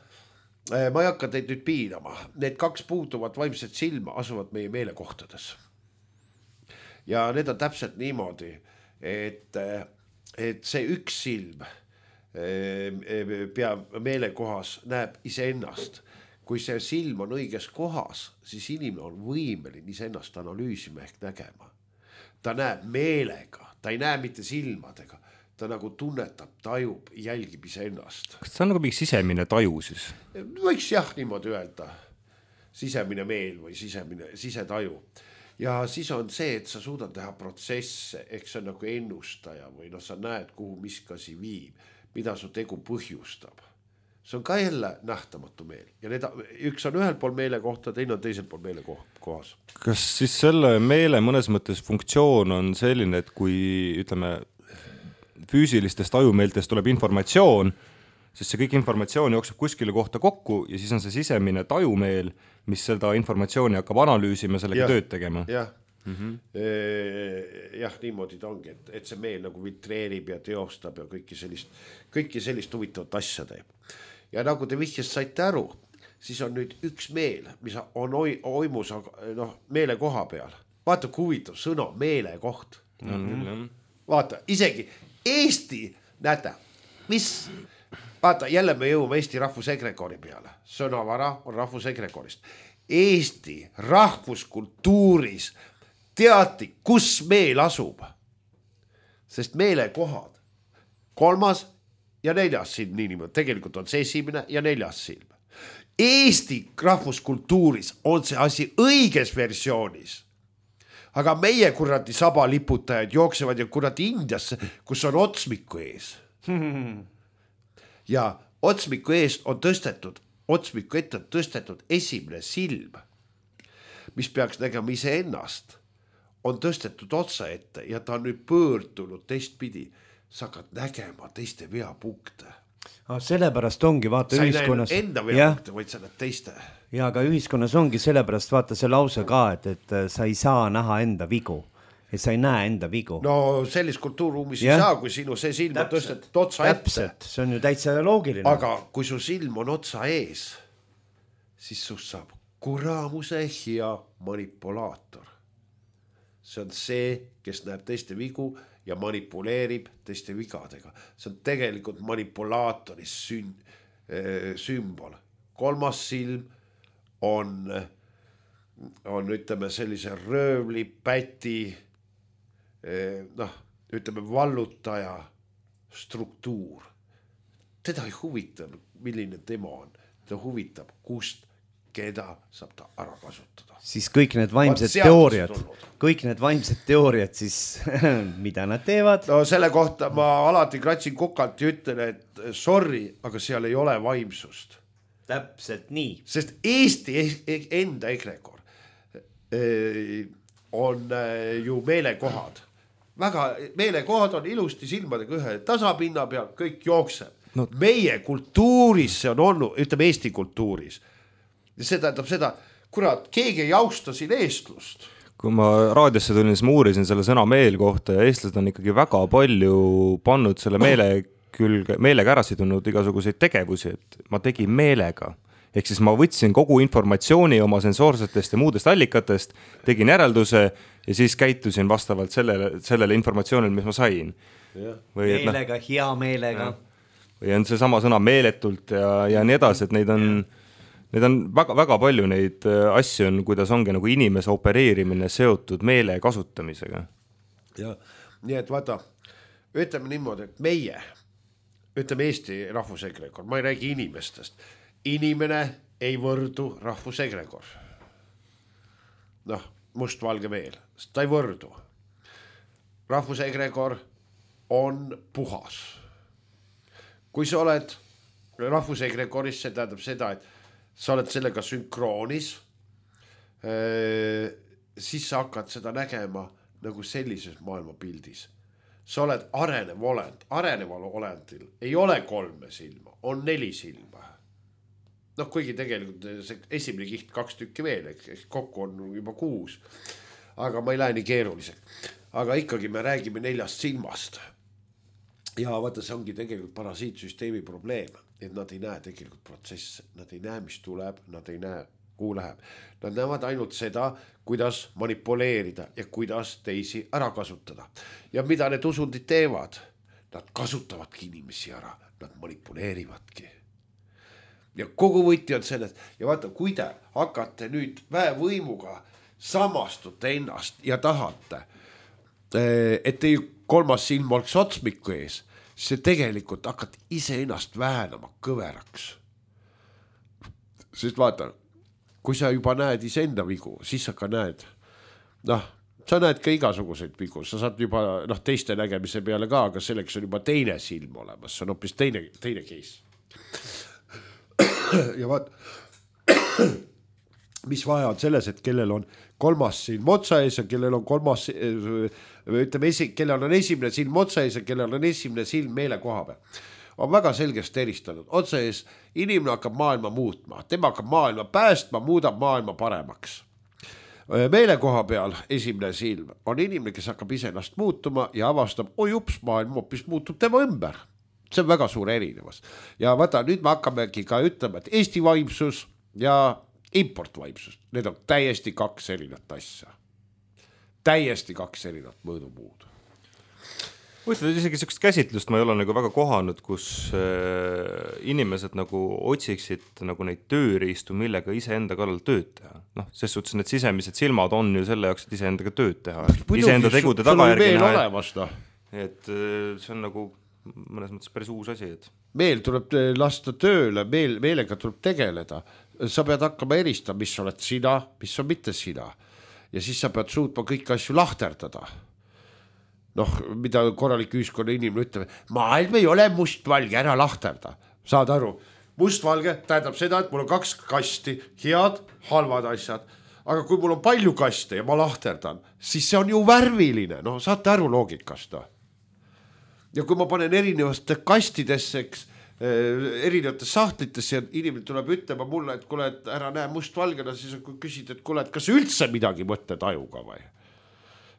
ma ei hakka teid nüüd piinama. Need 2 puutuvat vaimset silma asuvad meie meelekohtades. Ja need on täpselt niimoodi, et see üks silm pea meelekohas näeb iseennast. Kui see silm on õiges kohas, siis inimene on võimeline iseennast analüüsima ehk nägema. Ta näeb meelega, ta ei näe mitte silmadega, ta nagu tunnetab, tajub, jälgib iseennast. Kas see on nagu mingi sisemine taju siis? Võiks jah niimoodi öelda, sisemine meel või sisetaju. Ja siis on see, et sa suudad teha protsesse, ehk see on nagu ennustaja või sa näed, kuhu miskasi viib, mida su tegu põhjustab. See on ka jälle nähtamatu meel ja üks on ühel pool meele kohta, teine on teisel pool meele kohas. Kas siis selle meele mõnes mõttes funktsioon on selline, et kui ütleme füüsilistest ajumeeltest tuleb informatsioon, siis see kõik informatsioon jookseb kuskile kohta kokku ja siis on see sisemine tajumeel, mis seda informatsiooni hakkab analüüsima ja sellega tööd tegema. Jah. Jah, niimoodi ta ongi, et see meel nagu vitreerib ja teostab ja kõiki sellist huvitavat asja teeb. Ja nagu te vihjast saite aru, siis on nüüd üks meel, mis on oimus meele koha peal. Vaata, kui huvitav sõna meele koht. Vaata, isegi Eesti, näete, vaata, jälle me jõuame Eesti rahvusekrekori peale. Sõnavara on rahvusekrekorist. Eesti rahvuskultuuris teati, kus meel asub. Sest meelekohad 3. ja 4. silm niimoodi. Tegelikult on see esimene ja 4. silm. Eesti rahvuskultuuris on see asi õiges versioonis. Aga meie kuradi sabaliputajad jooksevad ja kuradi Indiasse, kus on otsmiku ees. Ja otsmiku eest on tõstetud, otsmiku ette on tõstetud esimene silm, mis peaks nägema iseennast, on tõstetud otsa ette ja ta on nüüd pöördunud teistpidi. Sa hakkad nägema teiste veapunkte. Sellepärast ongi, vaata ühiskonnas. Sa ei näe enda veapunkte, vaid sa näed teiste. Ja aga ühiskonnas ongi sellepärast, vaata see lause ka, et sa ei saa näha enda vigu. Et sa ei näe enda vigu. No sellist kultuurruumis ei saa, kui sinu see silm on tõstetud otsa ette. Täpselt, see on ju täitsa loogiline. Aga kui su silm on otsa ees, siis sust saab kuramuse hea manipulaator. See on see, kes näeb teiste vigu ja manipuleerib teiste vigadega. See on tegelikult manipulaatori sümbol. 3. silm on ütleme sellise röövli, päti, ütleme vallutaja struktuur. Teda ei huvita, milline tema on. Ta huvitab, kust, keda saab ta ära kasutada. Siis kõik need vaimsed teooriad, siis mida nad teevad? No selle kohta ma alati kratsin kukalt ja ütlen, et sorry, aga seal ei ole vaimsust. Täpselt nii. Sest Eesti enda ekrekor on ju meelekohad. Väga meelekohad on ilusti silmadega ühe tasapinna peal, kõik jookseb. No. Meie kultuuris see on olnud, ütleme Eesti kultuuris. Ja see tähendab seda, kurat, keegi ei austa siin eestlust. Kui ma raadiosse tulin, siis ma uurisin selle sõna meel kohta ja eestlased on ikkagi väga palju pannud selle meelega ära sidunud igasuguseid tegevusi, et ma tegin meelega. ehk siis ma võtsin kogu informatsiooni oma sensoorsetest ja muudest allikatest, tegin järelduse ja siis käitusin vastavalt sellele informatsioonile, mis ma sain. Meelega, hea meelega. Või on see sama sõna meeletult ja nii edasi, et neid on väga, väga palju neid asju on, kuidas ongi nagu inimese opereerimine seotud meele kasutamisega. Ja, nii et vaata, ütleme niimoodi, et meie, ütleme Eesti rahvusegregor, ma ei räägi inimestest. Inimene ei võrdu rahvusegregor. Noh, mustvalge meel, ta ei võrdu. Rahvusegregor on puhas. Kui sa oled rahvusegregoris, see tähendab seda, et sa oled sellega sünkroonis, siis sa hakkad seda nägema nagu sellises maailmapildis. Sa oled arenev olend. Areneval olendil ei ole 3 silma, on 4 silma. Noh, kuigi tegelikult see esimene kiht 2 tükki veel, kokku on juba 6. Aga ma ei lähe nii keeruliseks. Aga ikkagi me räägime 4 silmast. Ja vaata, see ongi tegelikult parasiitsüsteemi probleem, et nad ei näe tegelikult protsesse. Nad ei näe, mis tuleb, nad ei näe, kuhu läheb. Nad näevad ainult seda, kuidas manipuleerida ja kuidas teisi ära kasutada. Ja mida need usundid teevad? Nad kasutavadki inimesi ära, nad manipuleerivadki. Ja kogu võti on selles. Ja vaata, kui te hakkate nüüd väevõimuga samastute ennast ja tahate, et teie 3. silm oleks otsmiku ees, see tegelikult hakkad ise ennast väänama kõveraks. Sest vaata, kui sa juba näed iseenda vigu, siis sa ka näed, sa näed ka igasuguseid vigu, sa saad juba teiste nägemise peale ka, aga selleks on juba teine silm olemas, see on hoopis teine case. Ja vaat, mis vaja on selles, et kellel on 3. silm otsa ees ja kellel on 3. kellel on esimene silm otsa ees ja kellel on esimene silm meele koha peal. On väga selgesti eristanud. Otsa ees inimene hakkab maailma muutma. Tema hakkab maailma päästma, muudab maailma paremaks. Meele koha peal esimene silm on inimene, kes hakkab ise ennast muutuma ja avastab, ups, maailm hoopis muutub tema ümber. See on väga suur erinevus. Ja vaata, nüüd me hakkamegi ka ütlema, et Eesti vaimsus ja importvaimsus, need on täiesti 2 erinevat asja. Täiesti 2 erinevat mõõdumuud. Võtad isegi sellist käsitlust ma ei ole nagu väga kohanud, kus inimesed nagu otsiksid nagu neid tööriistu, millega iseenda kallal tööd teha. Noh, ses suhtes need sisemised silmad on ju selle jaoks, et iseendaga tööd teha. Iseenda tegude tagajärgi näha. Et see on nagu mõnes mõttes päris uus asi. Et meel tuleb lasta tööle, meelega tuleb tegeleda. Sa pead hakkama eristama, mis oled sina, mis on mitte sina. Ja siis sa pead suutma kõik asju lahterdada. Noh, mida korralik ühiskonna inimene ütleb, maailm ei ole mustvalge, ära lahterda. Saad aru, mustvalge tähendab seda, et mul on 2 kasti, head, halvad asjad. Aga kui mul on palju kaste ja ma lahterdan, siis see on ju värviline. No saate aru loogikast. Ja kui ma panen erinevaste kastidesse, erinevates sahtlitesse ja inimene tuleb ütlema mulle, et kuule, et ära näe mustvalgena, siis kui küsid, et kuule, et kas üldse midagi mõtled ajuga või?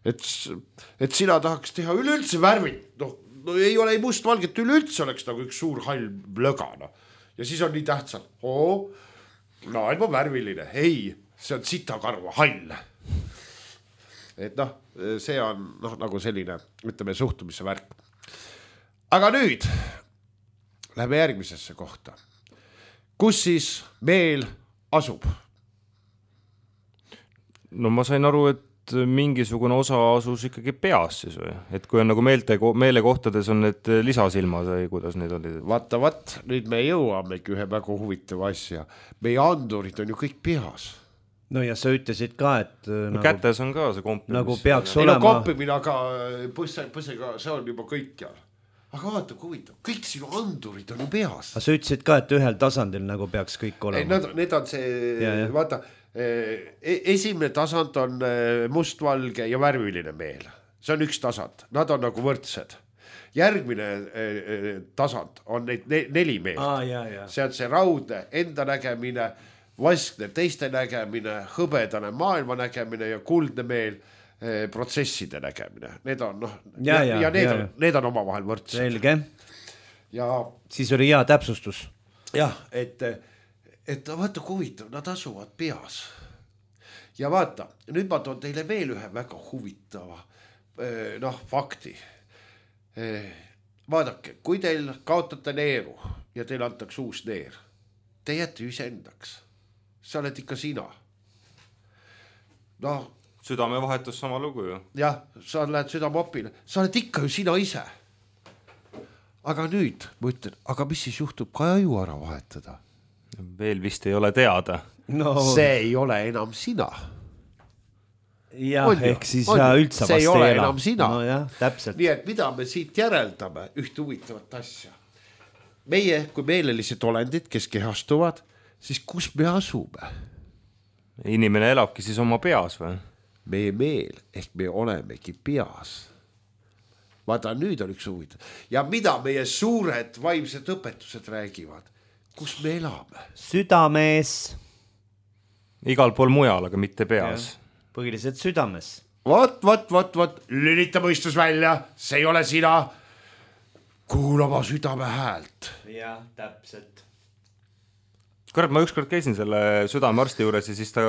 Et sina tahaks teha üleüldse värvit, no ei ole ei mustvalget, üleüldse oleks nagu üks suur hall löga. No. Ja siis on nii tähtsalt, maailm on värviline, ei, see on sitakarva hall. Et see on nagu selline, ütleme, suhtumise värk. Aga nüüd lähme järgmisesse kohta. Kus siis meel asub? No ma sain aru, et mingisugune osa asus ikkagi peas siis või? Et kui on nagu meelekohtades on need lisasilmad või kuidas need olid? Vaata, nüüd me jõuamegi ühe väga huvitava asja. Meie andurid on ju kõik peas. No ja sa ütlesid ka, et no kätes on ka see kompimine. Nagu peaks olema. Kompimine, aga põsega, see on juba kõik ja. Aga vaata, kui huvitav, kõik sinu andurid on ju peas. Aga sa ütlesid ka, et ühel tasandil nagu peaks kõik olema. Need on see, vaata, esimene tasand on mustvalge ja värviline meel. See on üks tasand, nad on nagu võrdsed. Järgmine tasand on neid 4 meelt. See on see raudne enda nägemine, vaskne teiste nägemine, hõbedane maailma nägemine ja kuldne meel protsesside nägemine. Need on, need on omavahel võrdsed. Selge. Ja siis oli hea täpsustus. Jah, et et vaata kui huvitav, nad asuvad peas. Ja vaata, nüüd ma toon teile veel ühe väga huvitava fakti. Vaadake, kui teil kaotate neeru ja teil antaks uus neer, te jääte iseendaks. Sa oled ikka sina. Südamevahetus sama lugu ju. Jah, sa lähed südameopile, sa oled ikka ju sina ise. Aga nüüd ma ütlen, aga mis siis juhtub, kui aju ära vahetada? Veel vist ei ole teada. No, see ei ole enam sina. jah, ehk siis üldse see ei vast ole ei ela. enam sina. No jah, täpselt. Nii et mida me siit järeldame, ühte huvitavat asja. Meie kui meelelised olendid, kes kehastuvad, siis kus me asume? Inimene elabki siis oma peas või? Meie meel, ehk me olemegi peas. Vaata, nüüd on üks huvitav. Ja mida meie suured vaimsed õpetused räägivad? Kus me elame? Südames. Igal pool mujal, aga mitte peas. Põhiliselt südames. Vot, lülita mõistus välja, see ei ole sina. Kuula oma südame häält. Jah, täpselt. Kurat, ma ükskord käisin selle südamearsti juures ja siis ta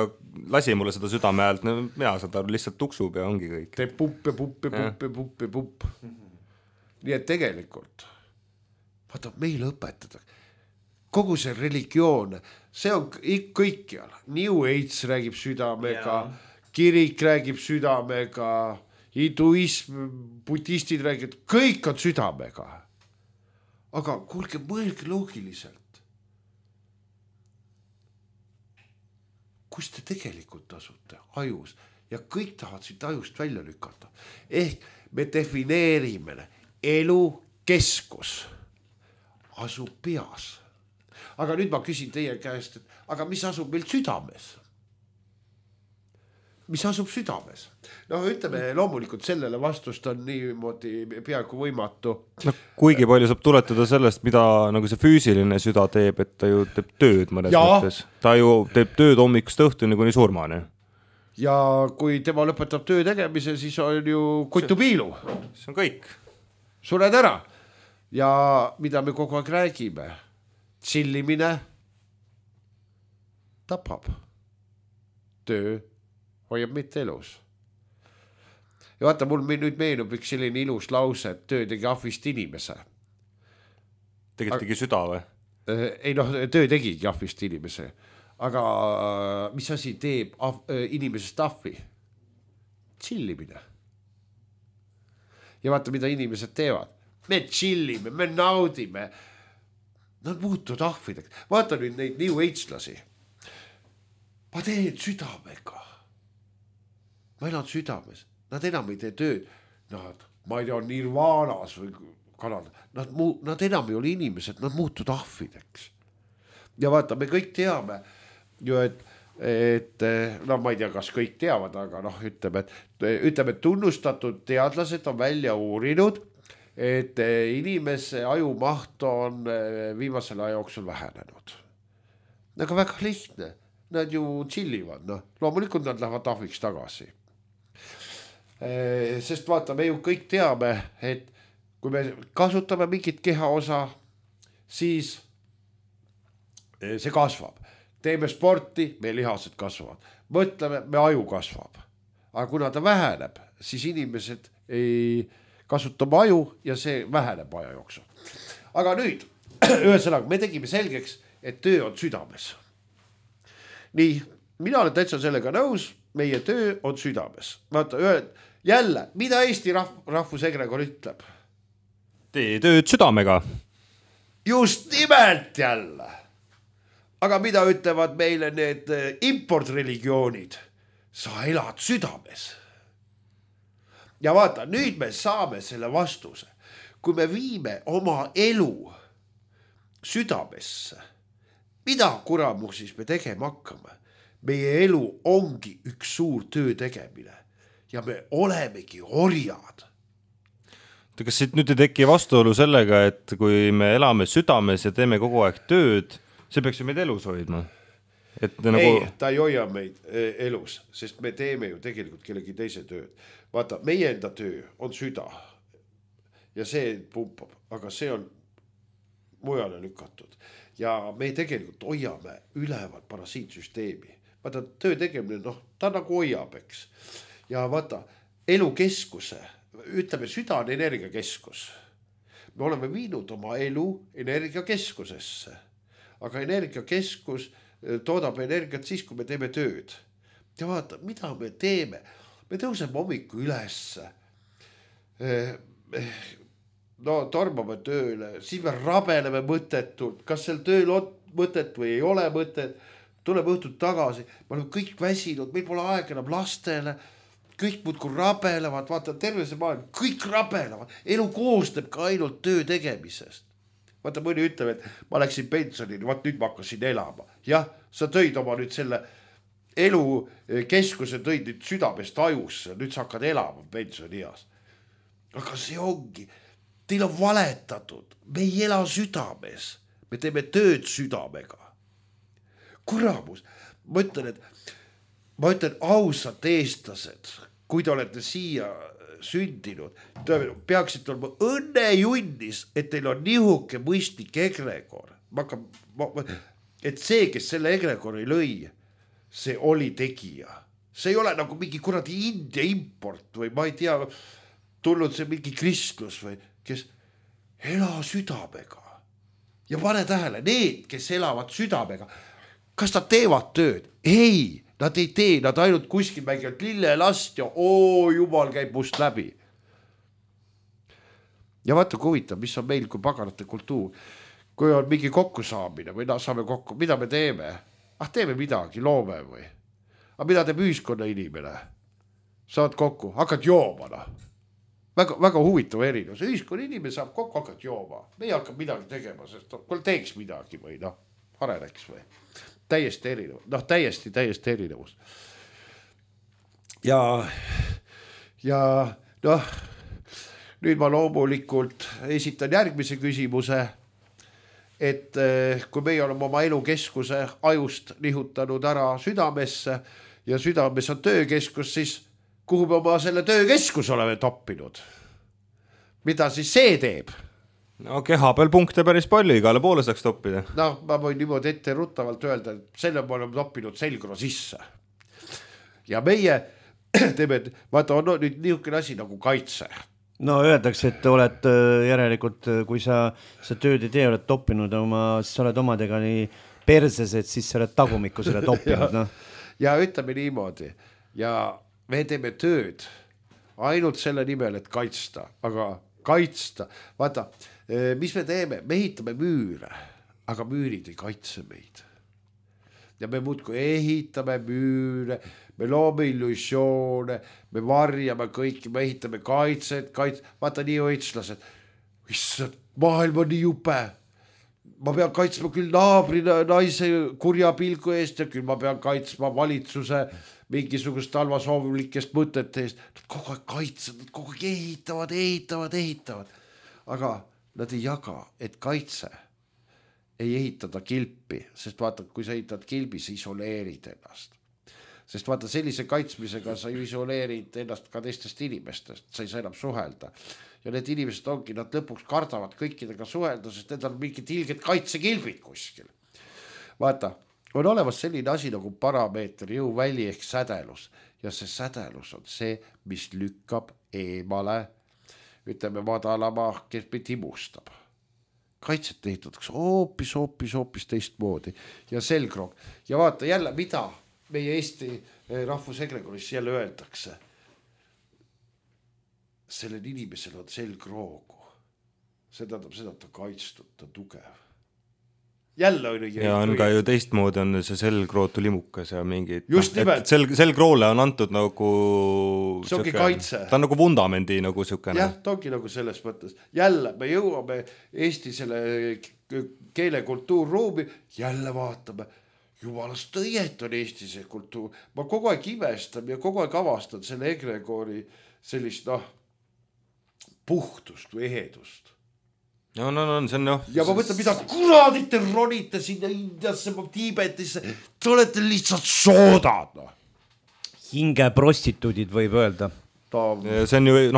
lasi mulle seda südame häält, mina seda lihtsalt tuksub ja ongi kõik. Teeb pupp. Nii et tegelikult, vaata, meile õpetada. Kogu see religioon, see on kõikjal. New Age räägib südamega, kirik räägib südamega, hinduism, budistid räägib, kõik on südamega. Aga kuulge, mõelge loogiliselt. Kus te tegelikult asute? Ajus. Ja kõik tahavad siit ajust välja lükata. Ehk me defineerime elu keskus. Asub peas. Aga nüüd ma küsin teie käest, et aga mis asub meil südames? Mis asub südames? Ütleme, loomulikult sellele vastust on niimoodi peaaegu võimatu. Kuigi palju saab tuletada sellest, mida nagu see füüsiline süda teeb, et ta ju teeb tööd mõnes mõttes. Ta ju teeb tööd hommikust õhtuni kuni surmani. Ja kui tema lõpetab töö tegemise, siis on ju kotupiilu. See on kõik. Sured ära. Ja mida me kogu aeg räägime? Chillimine tapab. Töö hoiab mitte elus. Ja vaata, mul nüüd meenub üks selline ilus lause, et töö tegi ahvist inimese. Tegi süda või? Ei töö tegigi ahvist inimese. Aga mis asi teeb inimesest ahvi? Chillimine. Ja vaata, mida inimesed teevad. Me chillime, me naudime. Nad muutuvad ahvideks. Vaata nüüd neid New Age-lasi. Ma teen südamega. Ma elan südames. Nad enam ei tee tööd. Ma ei tea, Nirvanas või Kanada. Nad enam ei ole inimesed, nad muutuvad ahvideks. Ja vaata, me kõik teame ju, et ma ei tea, kas kõik teavad, aga ütleme, et tunnustatud teadlased on välja uurinud, et inimese ajumaht on viimasel aja jooksul vähenenud. Aga väga lihtne. Nad ju chillivad. Loomulikult nad lähevad ahviks tagasi. Sest vaata, me ju kõik teame, et kui me kasutame mingit kehaosa, siis see kasvab. Teeme sporti, meie lihased kasvavad. Mõtleme, me aju kasvab. Aga kuna ta väheneb, siis inimesed ei kasuta aju ja see väheneb aja jooksul. Aga nüüd, ühesõnaga, me tegime selgeks, et töö on südames. Nii, mina olen täitsa sellega nõus, meie töö on südames. Vaata, jälle, mida Eesti rahvusegregor ütleb? Tee tööd südamega. Just nimelt jälle. Aga mida ütlevad meile need importreligioonid? Sa elad südames. Ja vaata, nüüd me saame selle vastuse. Kui me viime oma elu südamesse, mida kuramu siis me tegema hakkame? Meie elu ongi üks suur töö tegemine ja me olemegi orjad. Kas siit nüüd ei teki vastuolu sellega, et kui me elame südames ja teeme kogu aeg tööd, see peaks ju meid elus hoidma? Ei, ta ei hoia meid elus, sest me teeme ju tegelikult kellegi teise tööd. Vaata, meie enda töö on süda ja see pumpab, aga see on mujale lükatud ja me tegelikult hoiame üleval parasiitsüsteemi. Vaata töö tegemine, ta nagu hoiab, eks. Ja vaata elukeskuse, ütleme süda on energiakeskus. Me oleme viinud oma elu energiakeskusesse, aga energiakeskus toodab energiat siis, kui me teeme tööd. Ja vaata, mida me teeme? Me tõuseme hommiku ülesse, tormame tööle, siis me rabeleme mõttetult, kas seal tööl on mõtet või ei ole mõtet, tuleme õhtut tagasi, me oleme kõik väsinud, meil pole aega enam lastele, kõik muudkui rabelevad, vaata terve see maailm, kõik rabelevad, elu koosneb ka ainult töö tegemisest. Vaata mõni ütleb, et ma läksin pensionini, vaat nüüd ma hakkasin elama. Jah, sa tõid oma nüüd selle elukeskuse, tõid nüüd südamest ajusse, nüüd sa hakkad elama pensionias. Aga see ongi, teil on valetatud, me ei ela südames, me teeme tööd südamega. Kuramus, ma ütlen ausad eestlased, kui te olete siia sündinud, peaksid olema õnnejunnis, et teil on nihuke mõistlik egregor. Et see, kes selle egregori lõi, see oli tegija. See ei ole nagu mingi kuradi India import või ma ei tea, tulnud see mingi kristlus või kes ela südamega. Ja pane tähele, need, kes elavad südamega, kas nad teevad tööd? Ei, nad ei tee, nad ainult kuskil mängivad lillelast ja jumal käib must läbi. Ja vaata kui huvitav, mis on meil kui paganate kultuur. Kui on mingi kokkusaamine või saame kokku, mida me teeme? Teeme midagi, loome või? Aga mida teeb ühiskonna inimene? Saad kokku, hakkad jooma. Väga, väga huvitav erinevus. Ühiskonna inimene saab kokku, hakkad jooma. Me ei hakkab midagi tegema, sest kui teeks midagi või areneks või. Täiesti erinevus, täiesti erinevus. Ja nüüd ma loomulikult esitan järgmise küsimuse, et kui meie oleme oma elukeskuse ajust nihutanud ära südamesse ja südames on töökeskus, siis kuhu me oma selle töökeskus oleme toppinud? Mida siis see teeb? No keha peal punkte päris palju, igale poole saaks toppida. Ma võin niimoodi ette ruttavalt öelda, et selle me oleme toppinud selgro sisse. Ja meie teeme, vaata on nüüd niisugune asi nagu kaitse. No öeldakse, et oled järelikult, kui sa tööd ei tee, oled toppinud sa oled omadega nii perses, et siis sa oled tagumikku selle toppinud. Ja ütleme niimoodi, ja me teeme tööd ainult selle nimel, et kaitsta, aga kaitsta, vaata, mis me teeme? Me ehitame müüre, aga müürid ei kaitse meid. Ja me muudkui ehitame müüre, me loome illusioone, me varjame kõiki, me ehitame kaitset, vaata nii õitslased. Issand, maailm on nii jupe. Ma pean kaitsma küll naabri naise kurja pilgu eest ja küll ma pean kaitsma valitsuse mingisugust halvasoovlikest mõtete eest. Nad kogu aeg kaitsevad, nad kogu aeg ehitavad. Aga nad ei jaga, et kaitse ei ehitada kilpi, sest vaata, kui sa ehitad kilbi, sa isoleerid ennast. Sest vaata, sellise kaitsmisega sa isoleerid ennast ka teistest inimestest, sa ei saa enam suhelda. Ja need inimesed ongi, nad lõpuks kardavad kõikidega suhelda, sest need on mingid ilged kaitsekilbid kuskil. Vaata, on olemas selline asi nagu parameeter, jõuväli ehk sädelus. Ja see sädelus on see, mis lükkab eemale, ütleme madalama, kes meid imustab. Kaitset ehitatakse hoopis teistmoodi. Ja selgroog. Ja vaata jälle, mida meie Eesti rahvusegregoris jälle öeldakse. Sellel inimesel on selgroogu. See tähendab seda, et ta kaitstud, ta tugev. Jälle on ja on ka ju teistmoodi on see selgrootu limukas ja mingid selgroole on antud nagu see ongi kaitse. Ta on nagu vundamendi nagu sükene. Jah, ta ongi nagu selles mõttes. Jälle me jõuame Eesti selle keelekultuurruumi, jälle vaatame, jumalast õiet on Eesti see kultuur. Ma kogu aeg imestan ja kogu aeg avastan selle egregori sellist puhtust või ehedust. No, see on ja ma mõtlen, mida kuradit te ronite sinna Indiasse, Tiibetisse, te olete lihtsalt soodad. Hinge prostituudid võib öelda. See on ju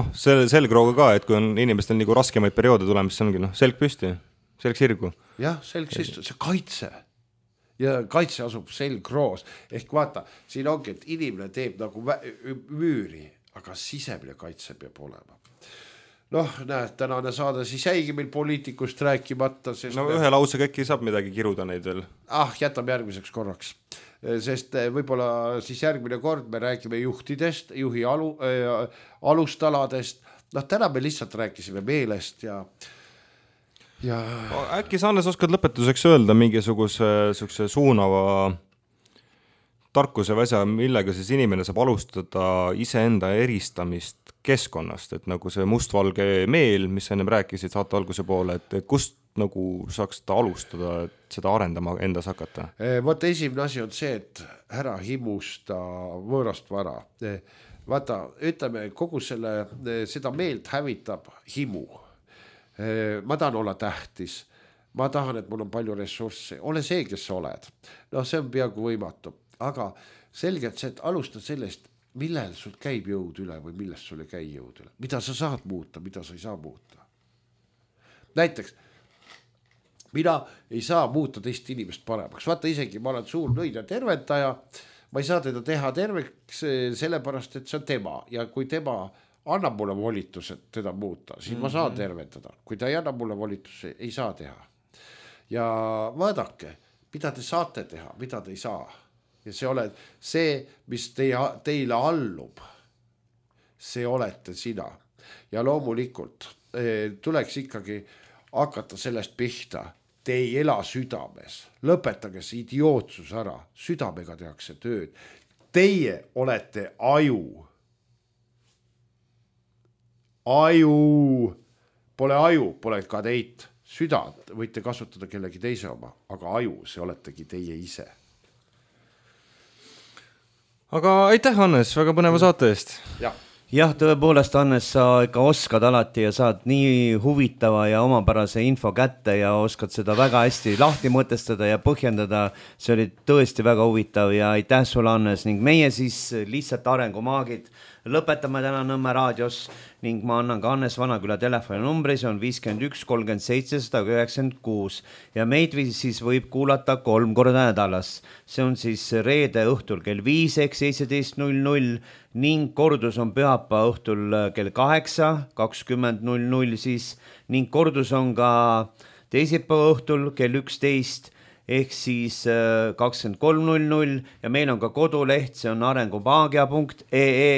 selgrooga ka, et kui on inimestel nagu raskemaid perioode tulemas, see ongi selg püsti. Selg-sirgu. Jah, selg-sirgu, see kaitse. Ja kaitse asub selgroos. Ehk vaata, siin ongi, et inimene teeb nagu müüri, aga sisemine kaitse peab olema. Noh, näed, tänane saade siis jäigi meil poliitikust rääkimata. Sest no ühe lausega äkki saab midagi kiruda neid veel. Jätame järgmiseks korraks. Sest võib-olla siis järgmine kord me räägime juhtidest, juhi alustaladest. Noh, täna me lihtsalt rääkisime meelest ja äkki sa, Hannes, oskad lõpetuseks öelda mingisuguse suunava tarkuse väsa, millega siis inimene saab alustada iseenda eristamist keskkonnast, et nagu see mustvalge meel, mis ennem rääkisid saate alguse poole, et kust nagu saaks ta alustada, et seda arendama endas hakata? Vaata, esimene asi on see, et ära himusta võõrast vara. Vaata, ütleme, kogu seda meelt hävitab himu. Ma tahan olla tähtis, ma tahan, et mul on palju ressurssi, ole see, kes sa oled. No see on peaaegu võimatu, aga selgelt see, et alusta sellest, millel sul käib jõud üle või millest sul ei käi jõud üle, mida sa saad muuta, mida sa ei saa muuta. Näiteks, mina ei saa muuta teist inimest paremaks, vaata isegi ma olen suur nõid ja terventaja, ma ei saa teda teha terveks sellepärast, et see on tema ja kui tema annab mulle volitused teda muuta, siis ma saan tervendada. Kui ta ei anna mulle volitusi, ei saa teha. Ja vaadake, mida te saate teha, mida te ei saa. Ja see oled see, mis teile allub, see olete sina. Ja loomulikult tuleks ikkagi hakata sellest pihta. Te ei ela südames. Lõpetage see idiootsus ära. Südamega tehakse tööd. Teie olete aju. Pole aju, pole ka teid. Südant võite kasutada kellegi teise oma, aga aju, see oletegi teie ise. Aga aitäh, Hannes, väga põneva saate eest. Jah, tõepoolest, Hannes, sa ikka oskad alati ja saad nii huvitava ja omapärase info kätte ja oskad seda väga hästi lahti mõtestada ja põhjendada. See oli tõesti väga huvitav ja aitäh sulle, Hannes, ning meie siis lihtsalt arengumaagid lõpetame täna Nõmme raadios ning ma annan ka Hannes Vanaküla telefoninumbri, see on 51 37 196 ja meid siis võib kuulata 3 korda nädalas. See on siis reede õhtul kell 5 ehk 17.00 ning kordus on pühapäeva õhtul kell 8, 20.00 siis ning kordus on ka teisipäeva õhtul kell 11 ehk siis 23.00 ja meil on ka koduleht, see on arengumaagia.ee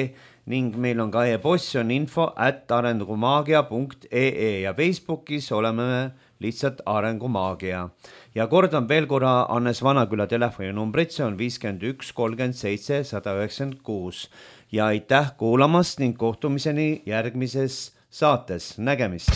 ning meil on ka e-post, see on info@arengumaagia.ee ja Facebookis oleme lihtsalt Arengumaagia. Ja kordan veel korra Hannes Vanaküla telefoninumbrit, see on 51 37 196 ja aitäh kuulamast ning kohtumiseni järgmises saates. Nägemist!